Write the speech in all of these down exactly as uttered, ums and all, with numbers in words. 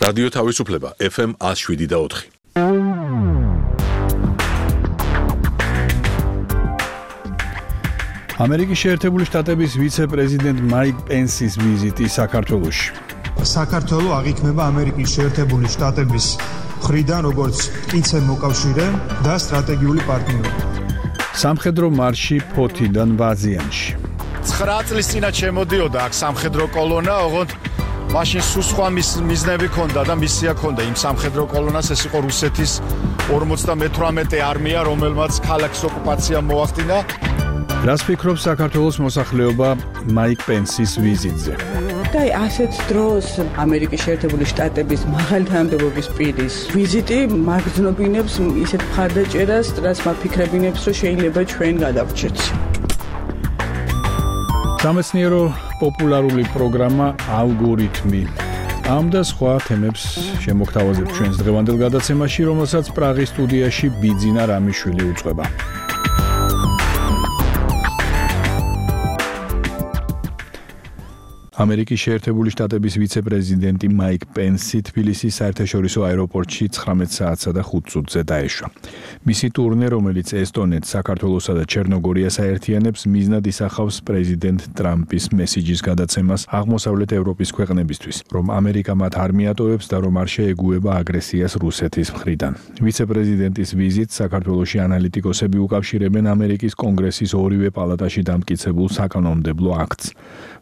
რადიო თავისუფლება ეფ ემ ათს შვიდი და ოთხი. ამერიკის შეერთებული შტატების ვიცე-პრეზიდენტ მაიკ პენსის ვიზიტი საქართველოში. საქართველო აღიქმება ამერიკის შეერთებული შტატების მხრიდან როგორც მტკიცე მოკავშირე და სტრატეგიული პარტნიორი. სამხედრო მარში ფოთიდან ვაზიანში. ცხრა წლის წინათ შემოდიოდა აქ სამხედრო კოლონა, ოღონდ მაშინ სულ სხვა მიზნები ქონდა და მისია ქონდა იმ სამხედრო კოლონას, ეს იყო რუსეთის ორმოცდამეთვრამეტე არმია, რომელმაც ქალაქის ოკუპაცია მოახდინა. რას ფიქრობს საქართველოს მოსახლეობა მაიკ პენსის ვიზიტზე? და ასეთ დროს ამერიკის შეერთებული შტატების მაღალი თანამდებობის პირის ვიზიტი მაგზნობინებს ისეთ მხარდაჭერას, რაც მაგფიქრებინებს, რომ შეიძლება ჩვენ გადავრჩეთ. სამეცნიერო პოპულარული პროგრამა ალგორითმი. ამ და სხვა თემებს შემოგთავაზებთ ჩვენს დღევანდელ გადაცემაში, რომელსაც პრაღის სტუდიაში ბიძინა რამიშვილი უწყება. ამერიკის შეერთებული შტატების ვიცე-პრეზიდენტი მაიკ პენსი თბილისის საერთაშორისო აეროპორტში ცხრამეტ საათსა და ხუთ წუთზე დაეშვა. მისი ტურნე, რომელიც ესტონეთს, საქართველოსა და ჩერნოგორიას აერთიანებს, მიზნად ისახავს პრეზიდენტ ტრამპის მესიჯის გადაცემას აღმოსავლეთ ევროპის ქვეყნებისთვის, რომ ამერიკა მათ არ მიატოვებს და რომ არ შეეგუება აგრესიას რუსეთის მხრიდან. ვიცე-პრეზიდენტის ვიზიტს საქართველოში ანალიტიკოსები უკავშირებენ ამერიკის კონგრესის ორივე პალატაში დამტკიცებულ საკანონმდებლო აქტს,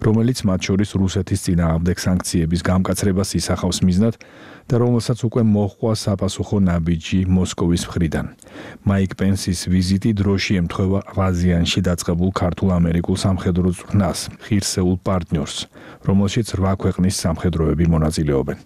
რომელიც მათ შორის რუსეთის წინააღმდეგ სანქციების გამკაცრებას ისახავს მიზნად და რომელსაც უკვე მოჰყვა საპასუხო ნაბიჯი მოსკოვის მხრიდან. მაიკ პენსის ვიზიტი დროში ემთხვევა ვაზიანში დაწყებულ ქართულ-ამერიკულ სამხედრო წვრთნას, ღირსეულ პარტნიორს, რომელშიც რვა ქვეყნის სამხედროები მონაწილეობენ.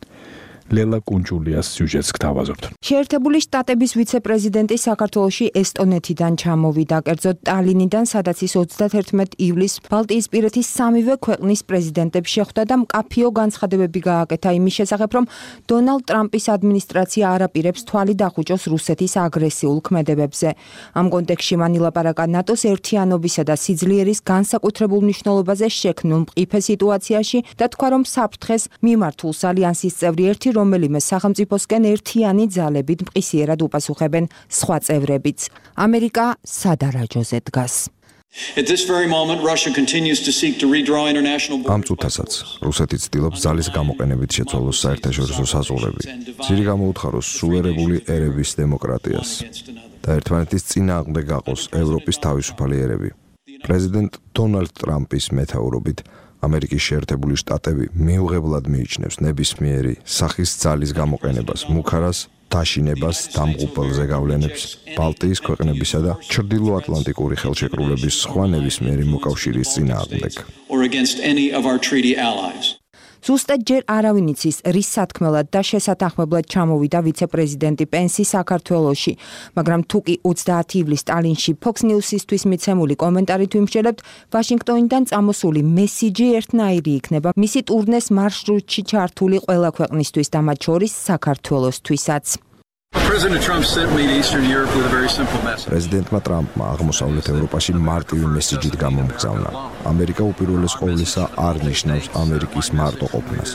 ლელა კუნჭულიას სიუჟეტს გთავაზობთ. შეერთებული შტატების ვიცე-პრეზიდენტი საქართველოში ესტონეთიდან ჩამოვიდა, კერძოდ ტალინიდან, სადაც ის ოცდათერთმეტ ივლისს ბალტიისპირეთის სამივე ქვეყნის პრეზიდენტებს შეხვდა და მკაფიო განცხადებები გააკეთა იმის შესახებ, რომ დონალდ ტრამპის ადმინისტრაცია არ აპირებს თვალი დახუჭოს რუსეთის აგრესიულ ქმედებებზე. ამ კონტექსტში მან ილაპარაკა ნატოს ერთიანობისა და სიძლიერის განსაკუთრებულ მნიშვნელობაზე შექმნილ მყიფე სიტუაციაში და თქვა, რომ საფრთხეს მიმართულს ალიანსის წევრი ერთი რომელიმე სახელმწიფოსკენ ერთიანი ძალებით მყისიერად უპასუხებენ სხვა წევრებიც. ამერიკა სადარაჯოზე დგას. ამ წუთასაც რუსეთი ცდილობს ძალის გამოყენებით შეცვალოს საერთაშორისო საზღვრები, ძირი გამოუთხაროს სუვერენული ერების დემოკრატიას და ერთმანეთის წინააღმდეგ გაყოს ევროპის თავისუფალი ერები. პრეზიდენტ დონალდ ტრამპის მეთაურობით ამერიკის შეერთებული შტატები მიუღებლად მიიჩნევს ნებისმიერი სახის ძალის გამოყენებას, მუქარას, დაშინებას, დამღუპელ ზეგავლენებს, ბალტიის ქვეყნებისა და ჩრდილოატლანტიკური ხელშეკრულების სხვა ნებისმიერი მოკავშირის წინააღმდეგ. ზუსტად ჯერ არავინ იცის, რის სათქმელად და შესათანხმებლად ჩამოვიდა ვიცე-პრეზიდენტი პენსი საქართველოში, მაგრამ თუკი ოცდაათი ივლისს ტალინში Fox News-ისთვის მიცემული კომენტარით ვიმსჯელებთ, ვაშინგტონიდან წამოსული მესიჯი ერთნაირი იქნება მისი ტურნეს მარშრუტში ჩართული ყველა ქვეყნისთვის და მათ შორის საქართველოსთვისაც. პრეზიდენტმა ტრამპმა აღმოსავლეთ ევროპაში მარტივი მესიჯით გამომგზავნა. ამერიკა უპირველეს ყოვლისა არ ნიშნავს ამერიკის მარტოყოფნას.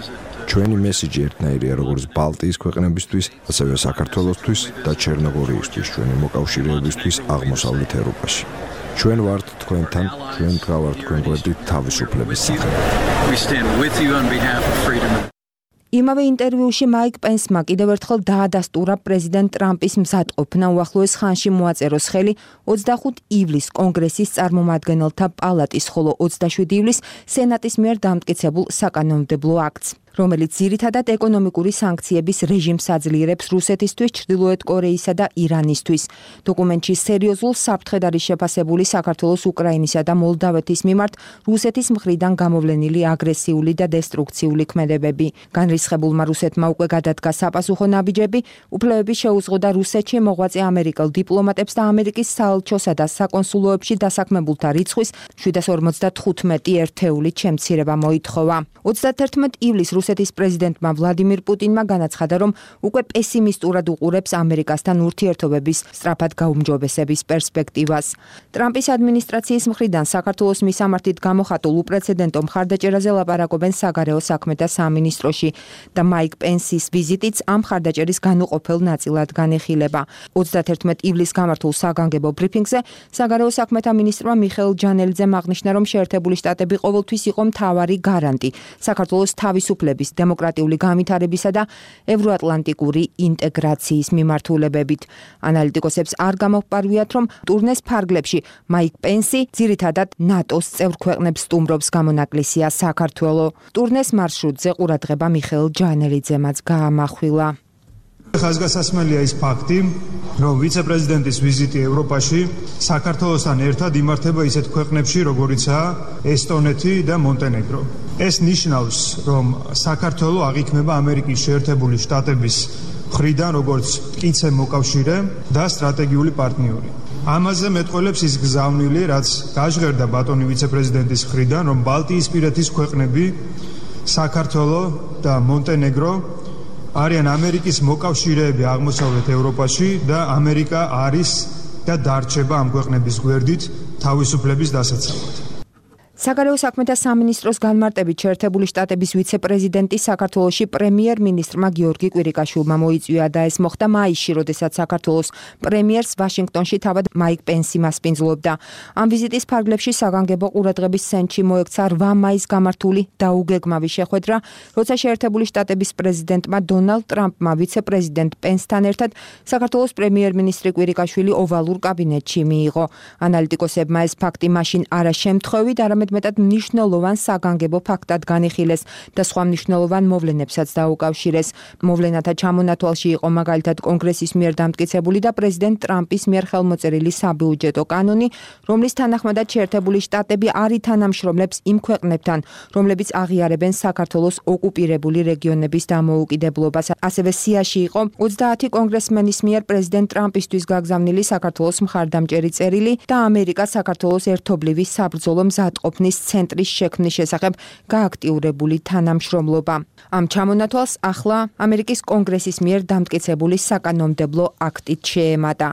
ჩვენი მესიჯი ერთნაირია როგორც ბალტიის ქვეყნებისთვის, ასევე საქართველოსთვის და ჩერნოგორიისთვის, ჩვენი მოკავშირეებისთვის აღმოსავლეთ ევროპაში. ჩვენ ვართ თქვენთან, ჩვენ დგავართ თქვენ გვერდით თავისუფლების სახელით. იმავე ინტერვიუში მაიკ პენსმა კიდევ ერთხელ დაადასტურა პრეზიდენტ ტრამპის მზადყოფნა უახლოეს ხანში მოაწეროს ხელი ოცდახუთ ივლისს კონგრესის წარმომადგენელთა პალატის, ხოლო ოცდაშვიდი ივლისს სენატის მიერ დამტკიცებულ საკანონმდებლო აქტს, რომელიც ძირითადად ეკონომიკური სანქციების რეჟიმს აძლიერებს რუსეთისთვის, ჩრდილოეთ კორეისა და ირანისთვის. დოკუმენტში სერიოზულ საფრთხედ არის შეფასებული საქართველოს, უკრაინისა და მოლდავეთის მიმართ რუსეთის მხრიდან გამოვლენილი აგრესიული და დესტრუქციული ქმედებები. განრისხებულმა რუსეთმა უკვე გადადგა საპასუხო ნაბიჯები, უფლებები შეუზღოდა რუსეთში მოღვაწე ამერიკელ დიპლომატებს და ამერიკის საელჩოსა და საკონსულოებში დასაქმებულთა რიცხვის შვიდას ორმოცდათხუთმეტი ერთეულით შემცირება მოითხოვა. ოცდათერთმეტ ივლისს რუსეთის პრეზიდენტმა ვლადიმირ პუტინმა განაცხადა, რომ უკვე პესიმისტურად უყურებს ამერიკასთან ურთიერთობების სწრაფად გაუმჯობესების პერსპექტივას. ტრამპის ადმინისტრაციის მხრიდან საქართველოს მისამართით გამოხატულ უპრეცედენტო მხარდაჭერაზე ლაპარაკობენ საგარეო საქმეთა სამინისტროში და მაიკ პენსის ვიზიტიც ამ მხარდაჭერის განუყოფელ ნაწილად განიხილება. ოცდაათერთმეტ ივლისს გამართულ საგანგებო ბრიფინგზე საგარეო საქმეთა მინისტრმა მიხეილ ჯანელიძემ აღნიშნა, რომ შეერთებული შტატები ყოველთვის იყო მთავარი გარანტი საქართველოს თავისუფლების, დემოკრატიული განვითარებისა და ევროატლანტიკური ინტეგრაციის მიმართულებებით. ანალიტიკოსებს არ გამოფარვიათ, რომ ტურნეს ფარგლებში მაიკ პენსი ძირითადად ნატოს წევრ ქვეყნებს სტუმრობს, გამონაკლისია საქართველო. ტურნეს მარშრუტზე ყურადღება მიხეილ ჯანელიძემაც გაამახვილა. ხაზგასასმელია ის ფაქტი, რომ ვიცე-პრეზიდენტის ვიზიტი ევროპაში საქართველოსთან ერთად იმართება ისეთ ქვეყნებში, როგორიცაა ესტონეთი და მონტენეგრო. ეს ნიშნავს, რომ საქართველო აღიქმება ამერიკის შეერთებული შტატების მხრიდან როგორც მტკიცე მოკავშირე და სტრატეგიული პარტნიორი. ამაზე მეტყველებს ის გზავნილი, რაც გაჟღერდა ბატონი ვიცე-პრეზიდენტის მხრიდან, რომ ბალტიისპირეთის ქვეყნები, საქართველო და მონტენეგრო არიან ამერიკის მოკავშირეები აღმოსავლეთ ევროპაში და ამერიკა არის და დარჩება ამ ქვეყნების გვერდით თავისუფლების დასაცავად. საგარეო საქმეთა სამინისტროს განმარტებით შეერთებული შტატების ვიცე-პრეზიდენტი საქართველოში პრემიერ-მინისტრმა გიორგი კვირიკაშვილმა მოიწვია და ეს მოხდა მაისში, როდესაც საქართველოს პრემიერს ვაშინგტონში თავად მაიკ პენსი მასპინძლობდა. ამ ვიზიტის ფარგლებში საგანგებო ყურადღების ცენტრში მოექცა რვა მაისს გამართული დაუგეგმავი შეხვედრა, როცა შეერთებული შტატების პრეზიდენტმა დონალდ ტრამპმა ვიცე-პრეზიდენტ პენსთან ერთად საქართველოს პრემიერ-მინისტრი კვირიკაშვილი ოვალურ კაბინეტში მიიღო. ანალიტიკოსებმა ეს ფაქტი მაშინ არა შემთხვევით, არამედ მეტად მნიშვნელოვან საგანგებო ფაქტად განიხილეს და სხვა მნიშვნელოვან მოვლენებსაც დაუკავშირეს. მოვლენათა ჩამონათვალში იყო მაგალითად კონგრესის მიერ დამტკიცებული და პრეზიდენტ ტრამპის მიერ ხელმოწერილი საბიუჯეტო კანონი, რომლის თანახმადაც შეერთებული შტატები არ ითანამშრომლებს იმ ქვეყნებთან, რომლებიც აღიარებენ საქართველოს ოკუპირებული რეგიონების დამოუკიდებლობას. ასევე სიაში იყო ოცდაათი კონგრესმენის მიერ პრეზიდენტ ტრამპისთვის გაგზავნილი საქართველოს მხარდამჭერი წერილი და ამერიკა საქართველოს ერთობლივი საბრძოლო მზადყოფ ცენტრის შექმნის შესახებ გააქტიურებული თანამშრომლობა. ამ ჩამონათვალს ახლა ამერიკის კონგრესის მიერ დამტკიცებული საკანონმდებლო აქტით შეემატა.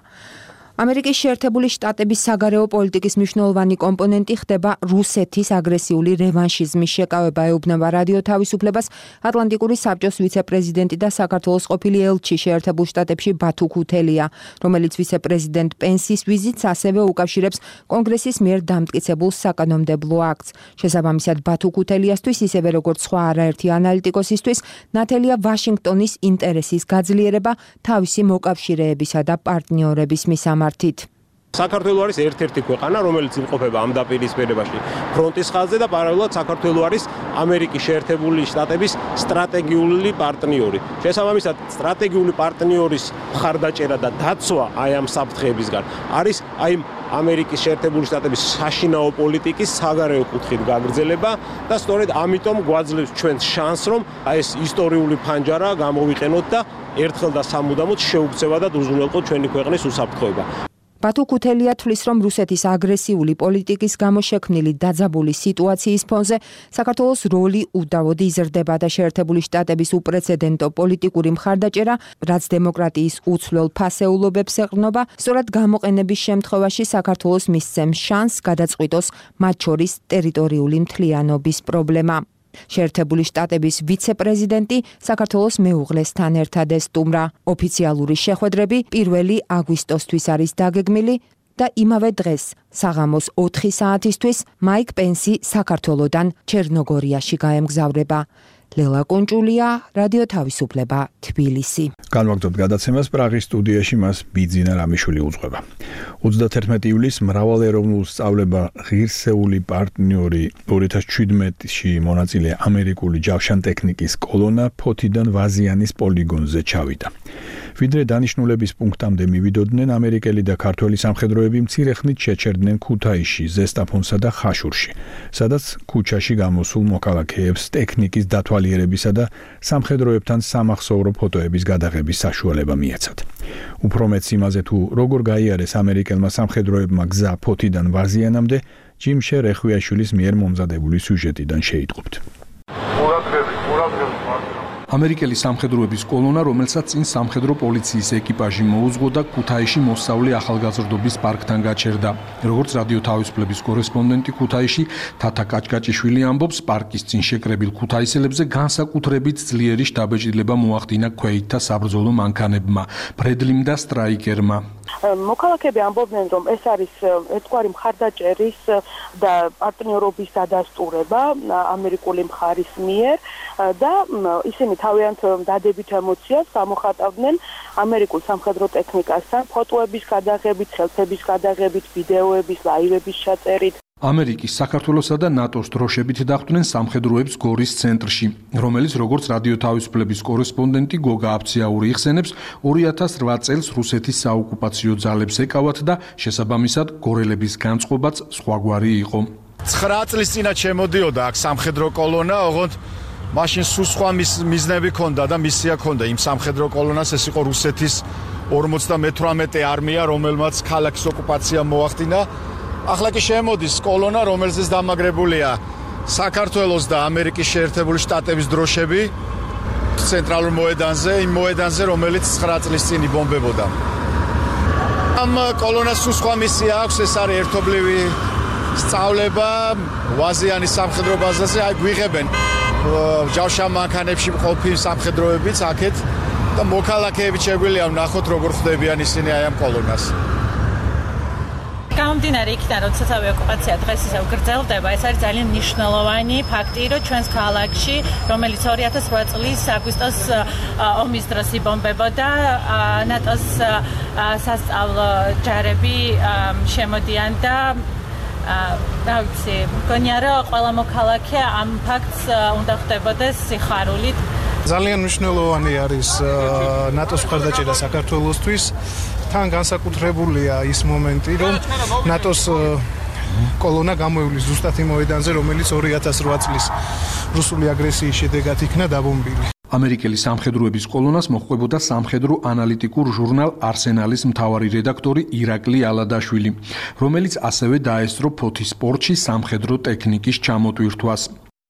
ამერიკის შეერთებული შტატების საგარეო პოლიტიკის მნიშვნელოვანი კომპონენტი ხდება რუსეთის აგრესიული რევანშიზმის შეკავება, ეუბნება რადიო თავისუფლებას ატლანტიკური საბჭოს ვიცე-პრეზიდენტი და საქართველოს ყოფილი ელჩი შეერთებულ შტატებში ბათუ ქუთელია, რომელიც ვიცე-პრეზიდენტ პენსის ვიზიტს ასევე უკავშირებს კონგრესის მიერ დამტკიცებულ საკანონმდებლო აქტს. შესაბამისად, ბათუ ქუთელიასთვის, ისევე როგორც სხვა არაერთი ანალიტიკოსისთვის, ნათელია ვაშინგტონის ინტერესის გაძლიერება თავისი მოკავშირეებისა და პარტნიორების მისამართით. საქართველო არის ერთ-ერთი ქვეყანა, რომელიც იმყოფება ამ დაპირისპირებაში ფრონტის ხაზზე და პარალელურად საქართველო არის ამერიკის შეერთებული შტატების სტრატეგიული პარტნიორი. შესაბამისად, სტრატეგიული პარტნიორის მხარდაჭერა და დაცვა აი ამ საფრთხეებისგან არის აი ამერიკის შეერთებული შტატების საშინაო პოლიტიკის საგარეო კუთხით გაგრძელება და სწორედ ამიტომ გვაძლევს ჩვენს შანსს, რომ აი ეს ისტორიული ფანჯარა გამოვიყენოთ და ერთხელ და სამუდამოდ შეუქცევა და უზრუნველყოთ ჩვენი ქვეყნის უსაფრთხოება. ბათუ ქუთელია თვლის, რომ რუსეთის აგრესიული პოლიტიკის გამო შექმნილი დაძაბული სიტუაციის ფონზე საქართველოს როლი უდავოდ იზრდება და შეერთებული შტატების უპრეცედენტო პოლიტიკური მხარდაჭერა, რაც დემოკრატიის უცვლელ ფასეულობებს ეყრდნობა, სწორად გამოყენების შემთხვევაში საქართველოს მისცემს შანსს გადაწყვიტოს მათ შორის ტერიტორიული მთლიანობის პრობლემა. შეერთებული შტატების ვიცე-პრეზიდენტი საქართველოს მეუღლესთან ერთად ესტუმრა. ოფიციალური შეხვედრები პირველი აგვისტოსთვის არის დაგეგმილი და იმავე დღეს საღამოს ოთხი საათისთვის მაიკ პენსი საქართველოდან ჩერნოგორიაში გაემგზავრება. ლელა კონჭულია, რადიო თავისუფლება, თბილისი. განვაგრძობთ გადაცემას პრაღის სტუდიაში, მას ბიძინა რამიშვილი უძღვება. ოცდაათერთმეტ ივლისს მრავალეროვნულ სწავლება ღირსეული პარტნიორი ორი ათას შვიდმეტში მონაწილე ამერიკული ჯავშანტექნიკის კოლონა ფოთიდან ვაზიანის პოლიგონზე ჩავიდა. ვიდრე დანიშნულების პუნქტამდე მივიდოდნენ, ამერიკელი და ქართველი სამხედროები მცირე ხნით შეჩერდნენ ქუთაისში, ზესტაფონსა და ხაშურში, სადაც ქუჩაში გამოსულ მოქალაქეებს ტექნიკის დათვალიერებისა და სამხედროებთან სამახსოვრო ფოტოების გადაღების საშუალება მიეცათ. უფრო მეც იმაზე, თუ როგორ გაიარეს ამერიკელმა სამხედროებმა გზა ფოთიდან ვაზიანამდე, ჯიმშე რეხვიაშვილის მიერ მომზადებული სიუჟეტიდან შეიტყობთ. ყურადღებით, ყურადღებით ამერიკელი სამხედროების კოლონა, რომელსაც წინ სამხედრო პოლიციის ეკიპაჟი მოუძღო და ქუთაისში მოსწავლე ახალგაზრდობის პარკთან გაჩერდა. როგორც რადიო თავისუფლების კორესპონდენტი ქუთაისში თათა კაჭკაჭიშვილი ამბობს, პარკის წინ შეკრებილ ქუთაისელებზე განსაკუთრებით ძლიერი შთაბეჭდილება მოახდინა ქვეითთა საბრძოლო მანქანებმა, ბრედლიმ და სტრაიკერმა. მოქალაქეები ამბობდნენ, რომ ეს არის ერთგვარი მხარდაჭერის და პარტნიორობის დადასტურება ამერიკული მხარის მიერ და ისინი თავიანთ დადებით ემოციას გამოხატავდნენ ამერიკულ სამხედრო ტექნიკასთან, ფოტოების გადაღებით, სელფების გადაღებით, ვიდეოების, ლაივების ჩაწერით. ამერიკის, საქართველოსა და ნატოს დროშებით დახვდნენ სამხედროებს გორის ცენტრში, რომელიც როგორც რადიო თავისუფლების კორესპონდენტი გოგა აფციაური იხსენებს, ორი ათას რვა წელს რუსეთის საოკუპაციო ძალებს ეკავათ და შესაბამისად გორელების განწყობაც სხვაგვარი იყო. ცხრა წლის წინათ შემოდიოდა აქ სამხედრო კოლონა, ოღონდ მაშინ სულ სხვა მიზნები ჰქონდა და მისია ჰქონდა იმ სამხედრო კოლონას, ეს იყო რუსეთის ორმოცდამეთვრამეტე არმია, რომელმაც ქალაქის ოკუპაცია მოახდინა. ახლა კი შემოდის კოლონა, რომელზეც დამაგრებულია საქართველოს და ამერიკის შეერთებული შტატების დროშები ცენტრალურ მოედანზე, იმ მოედანზე, რომელიც ცხრა წლის წინ იბომბებოდა. ამ კოლონას სულ სხვა მისია აქვს, ეს არის ერთობლივი სწავლება ვაზიანის სამხედრო ბაზაზე, აი გვიღებენ ჯავშან მანქანებში მყოფი სამხედროებიც აქეთ და მოქალაქეები შეგვიძლია ვნახოთ, როგორ ხვდებიან ისინი აი ამ კოლონას. გამომდინარე იქიდან, როდესაც ავი ოკუპაცია დღეს ისევ გრძელდება, ეს არის ძალიან მნიშვნელოვანი ფაქტი, რომ ჩვენს ქალაქში, რომელიც ორი ათას რვა წლის აგვისტოს ომის დროს იბომბებოდა, ნატოს სასწავლო ჯარები შემოდიან და რა ვიცი, მგონია რომ ყველა მოქალაქე ამ ფაქტს უნდა ხვდებოდეს სიხარულით. ძალიან მნიშვნელოვანი არის ნატოს მხარდაჭერა საქართველოსთვის. თან განსაკუთრებულია ის მომენტი, რომ ნატოს კოლონა გამოივლის ზუსტად იმ მოედანზე, რომელიც ორი ათას რვა წლის რუსული აგრესიის შედეგად იქნა დაბომბილი. ამერიკელი სამხედროების კოლონას მოჰყვებოდა სამხედრო ანალიტიკურ ჟურნალ არსენალის მთავარი რედაქტორი ირაკლი ალადაშვილი, რომელიც ასევე დაესწრო ფოთის სპორტში სამხედრო ტექნიკის ჩამოტვირთვას.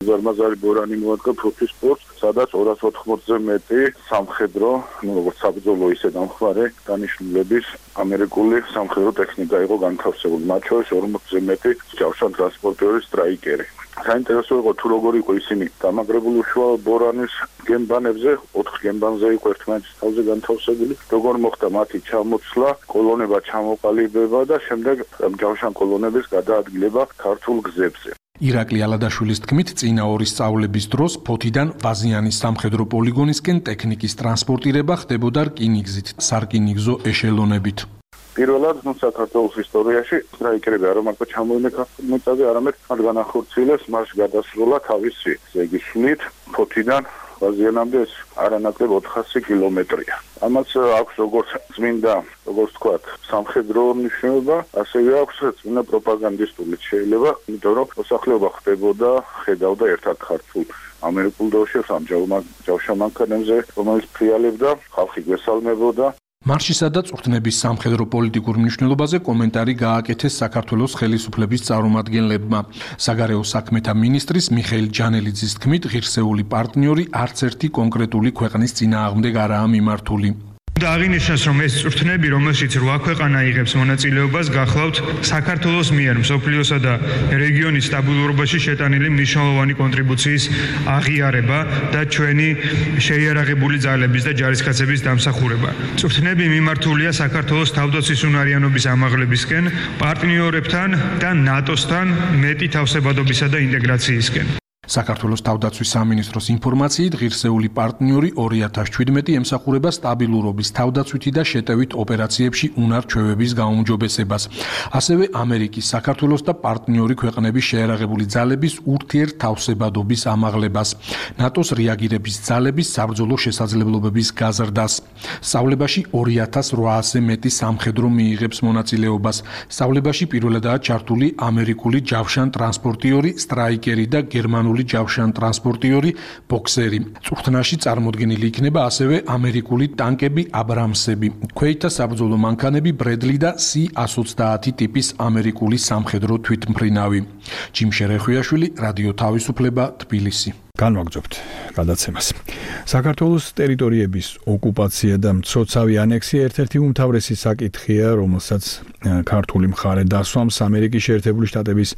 ზარმაზარი ბორანი მოადგა ფოთის სპორტს, სადაც ორას ოთხმოცზე მეტი სამხედრო, ну, როგორც საბრძოლო, ისე დამხმარე დანიშნულების ამერიკული სამხედრო ტექნიკა იყო განთავსებული, მათ შორის ორმოცზე მეტი ჯავშან ტრანსპორტიორი სტრაიკერი. საინტერესო იყო თუ როგორ იყო ისინი დამაგრებული უშუალო ბორანის გემბანებზე, ოთხ გემბანზე იყო ერთმანეთის თავზე განთავსებული, როგორ მოხდა მათი ჩამოცლა, კოლონება ჩამოყალიბება და შემდეგ ჯავშან კოლონების გადაადგილება ქართულ გზებზე. ირაკლი ალადაშვილის თქმით, წინა ორი სწავლების დროს ფოთიდან ვაზიანის სამხედრო პოლიგონისკენ ტექნიკის ტრანსპორტირება ხდებოდა რკინიგზით, სარკინიგზო ეშელონებით. პირველად საქართველოს ისტორიაში სტრაიკერები არა მარტო ჩამოვიდნენ ქართულ მიწაზე, არამედ მათ განახორციელეს მარშ გადასროლა თავისი, ესე იგი სვლით ფოთიდან ვაზიანამდე ეს არანაკლებ ოთხასი კილომეტრია. ამაც აქვს როგორც წმინდა, როგორც თქვათ, სამხედრო მნიშვნელობა, ასევე აქვს წმინდა პროპაგანდისტული შეიძლება, იმიტომ რომ მოსახლეობა ხდებოდა, ხედავდა ერთად ქართულ ამერიკულ დროშებს ამ ჯავშანმანქანებზე, რომელიც ფრიალებდა, ხალხი გვესალმებოდა. მარშისა და წვრთნების სამხედრო პოლიტიკურ მნიშვნელობაზე კომენტარი გააკეთეს საქართველოს ხელისუფლების წარმომადგენლებმა. საგარეო საქმეთა მინისტრის მიხეილ ჯანელიძის თქმით, ღირსეული პარტნიორი არც ერთი კონკრეტული ქვეყნის წინააღმდეგ არაა მიმართული. და აღინიშნოს, რომ ეს წვრთნები, რომელშიც რვა ქვეყანა იღებს მონაწილეობას, გახლავთ საქართველოს მიერ მსოფლიოსა და რეგიონის სტაბილურობაში შეტანილი მნიშვნელოვანი კონტრიბუციის აღიარება და ჩვენი შეიარაღებული ძალების და ჯარისკაცების დამსახურება. წვრთნები მიმართულია საქართველოს თავდაცვის უნარიანობის ამაღლებისკენ, პარტნიორებთან და ნატოსთან მეტი თავსებადობისა და ინტეგრაციისკენ. საქართველოს თავდაცვის სამინისტროს ინფორმაციით, ღირსეული პარტნიორი ორი ათას ჩვიდმეტი ემსახურება სტაბილურობის, თავდაცვითი და შეტევით ოპერაციებში უნარ-ჩვევების გაუმჯობესებას. ასევე ამერიკის, საქართველოს და პარტნიორი ქვეყნების შეიარაღებული ძალების ურთიერთთავსებადობის ამაღლებას, ნატოს რეაგირების ძალების საბრძოლო შესაძლებლობების გაზრდას. სწავლებაში ორი ათას რვაასზე მეტი სამხედრო მიიღებს მონაწილეობას. სწავლებაში პირველადაა ჩართული ამერიკული ჯავშან ტრანსპორტიორი, სტრაიკერი და გერმანული ჯავშან ტრანსპორტიორი, ბოქსერი. წვრთნაში წარმოდგენილი იქნება ასევე ამერიკული ტანკები აბრამსები, ქვეითთა საბრძოლო მანქანები ბრედლი და სი ას ოცდაათი ტიპის ამერიკული სამხედრო თვითმფრინავი. ჯიმ შერეხვიაშვილი, რადიო თავისუფლება, თბილისი. განვაგრძობთ გადაცემას. საქართველოს ტერიტორიების ოკუპაცია და მცოცავი ანექსია ერთ-ერთი უმთავრესი საკითხია, რომელსაც ქართული მხარე დასვამს ამერიკის შეერთებული შტატების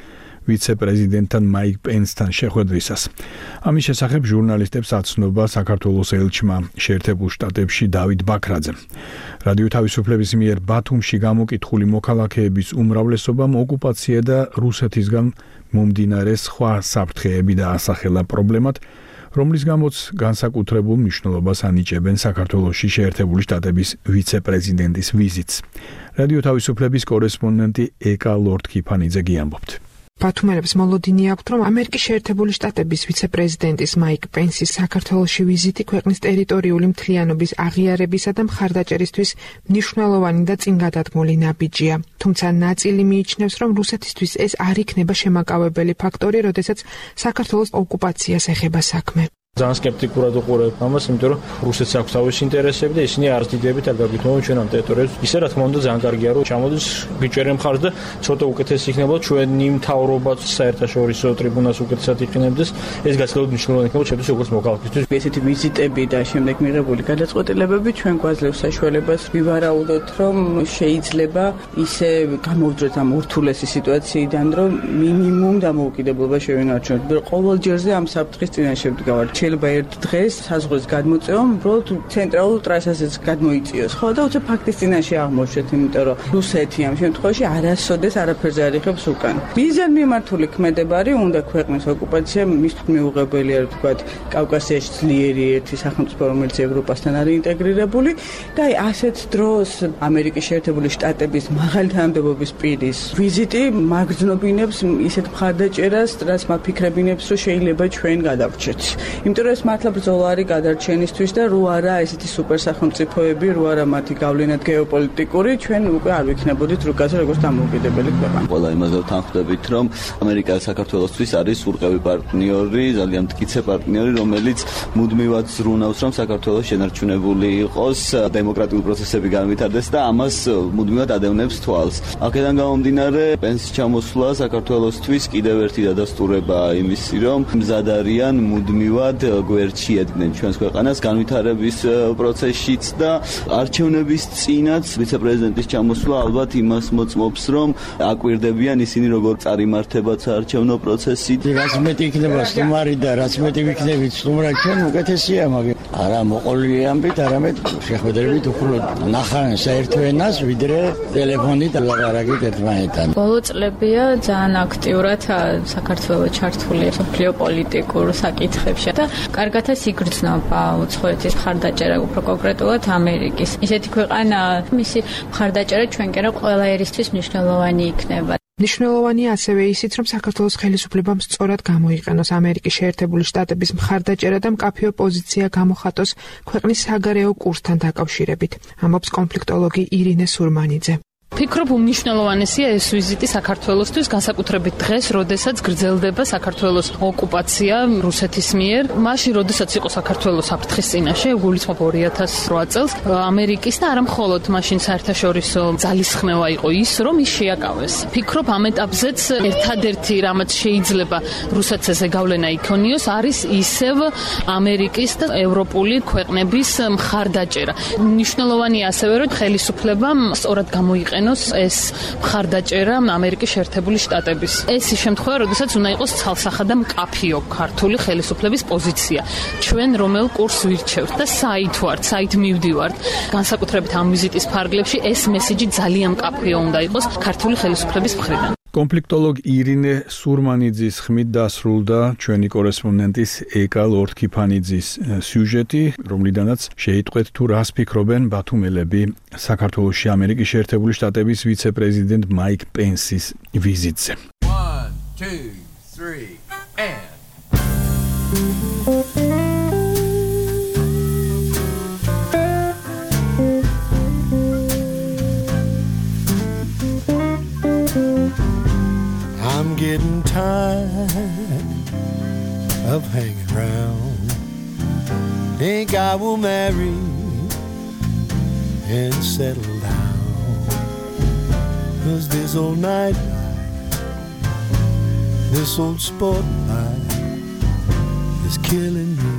ვიცე-პრეზიდენტთან მაიკ პენსთან შეხვედრისას. ამის შესახებ ჟურნალისტებს აცნობა საქართველოს ელჩმა შეერთებულ შტატებში დავით ბაქრაძემ. რადიო თავისუფლების მიერ ბათუმში გამოკითხული მოქალაქეების უმრავლესობამ ოკუპაცია და რუსეთისგან მომდინარე სხვა საფრთხეები დაასახელა პრობლემად, რომლის გამოც განსაკუთრებულ მნიშვნელობას ანიჭებენ საქართველოში შეერთებული შტატების ვიცე-პრეზიდენტის ვიზიტს. რადიო თავისუფლების კორესპონდენტი ეკა ლორდ-კიფანიძე გიამბობთ. ბათუმელებს მოლოდინი აქვთ, რომ ამერიკის შეერთებული შტატების ვიცე-პრეზიდენტის მაიკ პენსის საქართველოში ვიზიტი ქვეყნის ტერიტორიული მთლიანობის აღიარებისა და მხარდაჭერისთვის მნიშვნელოვანი და წინგადადგმული ნაბიჯია. თუმცა ნაწილი მიიჩნევს, რომ რუსეთისთვის ეს არ იქნება შემაკავებელი ფაქტორი, როდესაც საქართველოს ოკუპაციას ეხება საქმე. ძალიან სკეპტიკურად უყურებ ამას, იმიტომ რომ რუსეთს აქვს თავისი ინტერესები და ისინი არც დიდებით არ გაგვითმობენ ჩვენ ამ ტერიტორიებს. ისე რა თქმა უნდა ძალიან კარგია რომ ჩამოდის გიჭერენ მხარს და ცოტა უკეთესი იქნება ჩვენი მთავრობაც საერთაშორისო ტრიბუნას უკეთესად იყენებდეს. ეს გაცილებით მნიშვნელოვანი იქნება ჩემთვის როგორც მოქალაქისთვის. ესეთი ვიზიტები და შემდეგ მიღებული გადაწყვეტილებები ჩვენ გვაძლევს საშუალებას ვივარაუდოთ, რომ შეიძლება ისე გამოვძვრეთ ამ ურთულესი სიტუაციიდან, რომ მინიმუმ დამოუკიდებლობა შევინარჩუნოთ. ყოველ ჯერზე ამ საფრთხის წინაშე ვდგავართ. შეიძლება ერთ დღეს საზღვრის გადმოწევამ უბრალოდ ცენტრალურ ტრასაზეც გადმოიწიოს, ხო და უცებ ფაქტის წინაშე აღმოჩნდეთ, იმიტომ რომ რუსეთი ამ შემთხვევაში არასოდეს არაფერზე არ იღებს უკან. მიზან მიმართული ქმედებარი უნდა ქვეყნის ოკუპაცია მის მიუღებელია, ვთქვათ, კავკასიაში ძლიერი ერთი სახელმწიფო, რომელიც ევროპასთან არის ინტეგრირებული და აი ასეთ დროს ამერიკის შეერთებული შტატების მაღალი თანამდებობის პირის ვიზიტი მაგზნობინებს ისეთ მხარდაჭერას, რაც მაფიქრებინებს, რომ შეიძლება ჩვენ გადავრჩეთ. იმიტომ რომ ეს მართლა ბრძოლა არის გადარჩენისთვის და რო არა ესეთი სუპერ სახელმწიფოები, რო არა მათი გავლენა გეოპოლიტიკური, ჩვენ უკვე არ ვიქნებოდით რუკაზე როგორც დამოუკიდებელი ქვეყანა. ყველა იმაზე ვთანხმდებით, რომ ამერიკა საქართველოსთვის არის ურყევი პარტნიორი, ძალიან მტკიცე პარტნიორი, რომელიც მუდმივად ზრუნავს, რომ საქართველოს შენარჩუნებული იყოს, დემოკრატიული პროცესები განვითარდეს და ამას მუდმივად ადევნებს თვალს. აქედან გამომდინარე, პენსის ჩამოსვლა საქართველოსთვის კიდევ ერთი დადასტურებაა იმისი, რომ მზად არიან მუდმივად გვერდში ედგნენ ჩვენს ქვეყანას განვითარების პროცესშიც და არჩევნების წინაც ვიცე-პრეზიდენტის ჩამოსვლა ალბათ იმას მოწმობს, რომ აკვირდებიან ისინი როგორ წარიმართება საარჩევნო პროცესი. რაც მეტი იქნება სტუმარი და რაც მეტი ვიქნებით სტუმრად ჩვენ უკეთესია, მაგრამ არა მოყოლილი ამბით, არამედ შეხვედრებით უფრო ნახან საერთო ენას, ვიდრე ტელეფონით ლაპარაკით ერთმანეთთან. ბოლო წლებია ძალიან აქტიურად საქართველოს ჩართული სოფლიო პოლიტიკურ საკითხებში და კარგათაც იგრძნობა უცხოეთის მხარდაჭერა, უფრო კონკრეტულად ამერიკის. ისეთი ქვეყანა, მისი მხარდაჭერა ჩვენკენ ყველა ერისთვის მნიშვნელოვანი იქნება. მნიშვნელოვანია ასევე ისიც, რომ საქართველოს ხელისუფლებამ სწორად გამოიყენოს ამერიკის შეერთებული შტატების მხარდაჭერა და მკაფიო პოზიცია გამოხატოს ქვეყნის საგარეო კურსთან დაკავშირებით, ამბობს კონფლიქტოლოგი ირინე სურმანიძე. ფიქრობ უმნიშვნელოვანესია ეს ვიზიტი საქართველოსთვის, განსაკუთრებით დღეს, როდესაც გრძელდება საქართველოს ოკუპაცია რუსეთის მიერ. მაშინ, როდესაც იყო საქართველოს საფრთხის წინაშე, გულისხმობ ორი ათას რვა წელს, ამერიკის და არა მხოლოდ მაშინ საერთაშორისო ძალისხმევა იყო ის, რომ ის შეაკავეს. ფიქრობ ამ ეტაპზეც ერთადერთი, რამაც შეიძლება რუსეთს ესე გავლენა იქონიოს, არის ისევ ამერიკის და ევროპული ქვეყნების მხარდაჭერა. მნიშვნელოვანია ასევე, რომ ხელისუფლებამ სწორად გამოიყენოს ეს მხარდაჭერა ამერიკის შეერთებული შტატების. ეს ის შემთხვევა, როდესაც უნდა იყოს ცალსახა და მკაფიო ქართული ხელისუფლების პოზიცია. ჩვენ რომელ კურსს ვირჩევთ და საით ვართ, საით მივდივართ. განსაკუთრებით ამ ვიზიტის ფარგლებში ეს მესიჯი ძალიან მკაფიო უნდა იყოს ქართული ხელისუფლების მხრიდან. კონფლიქტოლოგ ირინე სურმანიძის ხმით დასრულდა ჩვენი კორესპონდენტის ეკა ლორდ-კიფანიძის სიუჟეტი, რომლიდანაც შეიტყვეთ თუ რას ფიქრობენ ბათუმელები საქართველოში ამერიკის შეერთებული შტატების ვიცე-პრეზიდენტ მაიკ პენსის ვიზიტზე. one two three and I'm getting tired of hanging around. Think I will marry and settle down. 'Cause this old night life, this old sport life is is killing me.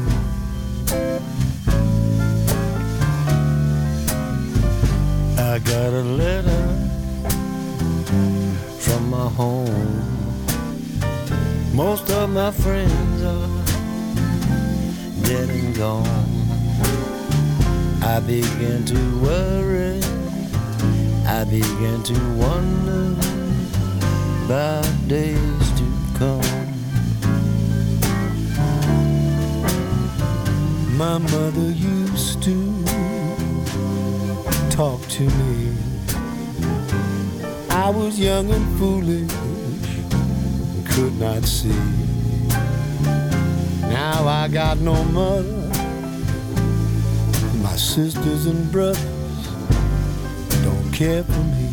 I got a letter from my home. Most of my friends are dead and gone. I began to worry, I began to wonder about days to come. My mother used to talk to me. I was young and foolish, could not see. Now I got no mother, my sisters and brothers don't care for me.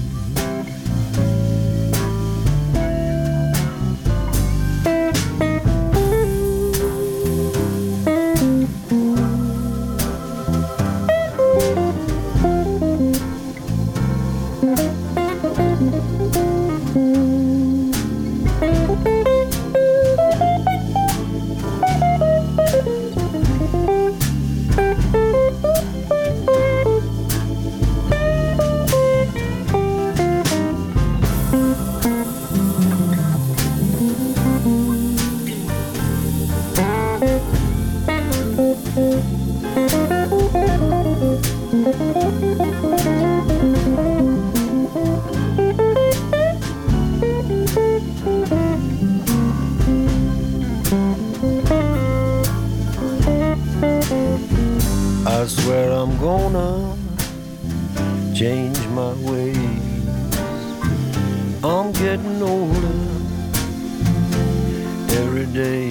I swear I'm gonna change my ways. I'm getting older every day.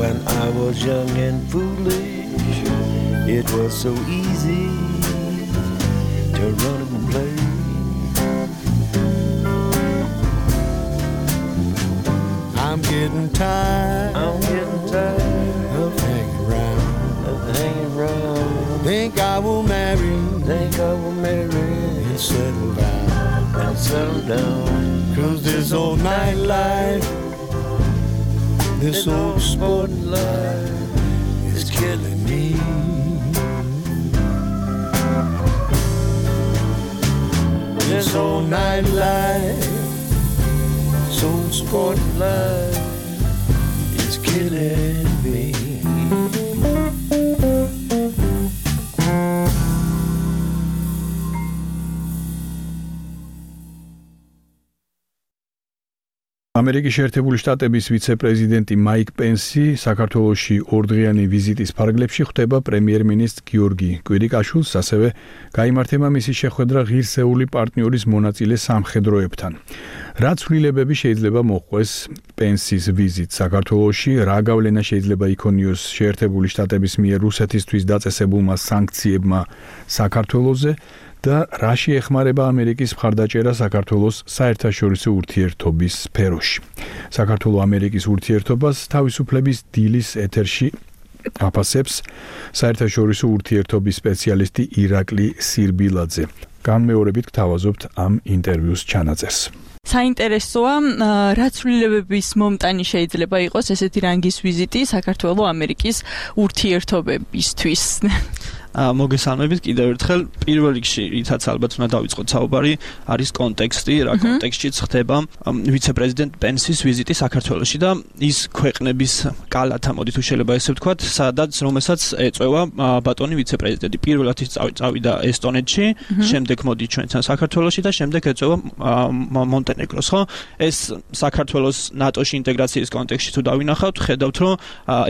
When I was young and foolish, it was so easy to run and play. I'm getting tired, I'm getting tired of hanging around, of hanging around. Think I will marry, think I will marry and settle down, and settle down. Cause this old nightlife, this old sport life is killing me. This old nightlife, this old sport life is killing me. ამერიკის შეერთებული შტატების ვიცე-პრეზიდენტი მაიკ პენსი საქართველოში ორდღიანი ვიზიტის ფარგლებში ხვდება პრემიერ-მინისტრ გიორგი კვირიკაშვილს, ასევე გაიმართება მისი შეხვედრა ღირსეული პარტნიორის მონაწილე სამხედროებთან. რა ცვლილებები შეიძლება მოჰყვეს პენსის ვიზიტს საქართველოში, რა გავლენა შეიძლება იქონიოს შეერთებული შტატების მიერ რუსეთისთვის დაწესებულმა სანქციებმა საქართველოზე და რაში ეხმარება ამერიკის მხარდაჭერა საქართველოს საერთაშორისო ურთიერთობის სფეროში. საქართველო-ამერიკის ურთიერთობას თავისუფლების დილის ეთერში აფასებს საერთაშორისო ურთიერთობის სპეციალისტი ირაკლი სირბილაძე. განმეორებით გთავაზობთ ამ ინტერვიუს ჩანაწერს. საინტერესოა, რა ცვლილებების მომტანი შეიძლება იყოს ესეთი რანგის ვიზიტი საქართველო-ამერიკის ურთიერთობებისთვის. მოგესალმებით კიდევ ერთხელ. პირველ რიგში, რითაც ალბათ უნდა დავიწყოთ საუბარი, არის კონტექსტი, რა კონტექსტშიც ხდება ვიცე-პრეზიდენტ პენსის ვიზიტი საქართველოში და ის ქვეყნების კალათა, მოდი თუ შეიძლება ესე ვთქვათ, სადაც რომელსაც ეწევა ბატონი ვიცე-პრეზიდენტი. პირველად ის წავიდა ესტონეთში, შემდეგ მოდი ჩვენთან საქართველოში და შემდეგ ეწევა მონტენეგროს, ხო? ეს საქართველოს ნატოში ინტეგრაციის კონტექსტში თუ დავინახავთ, ხედავთ, რომ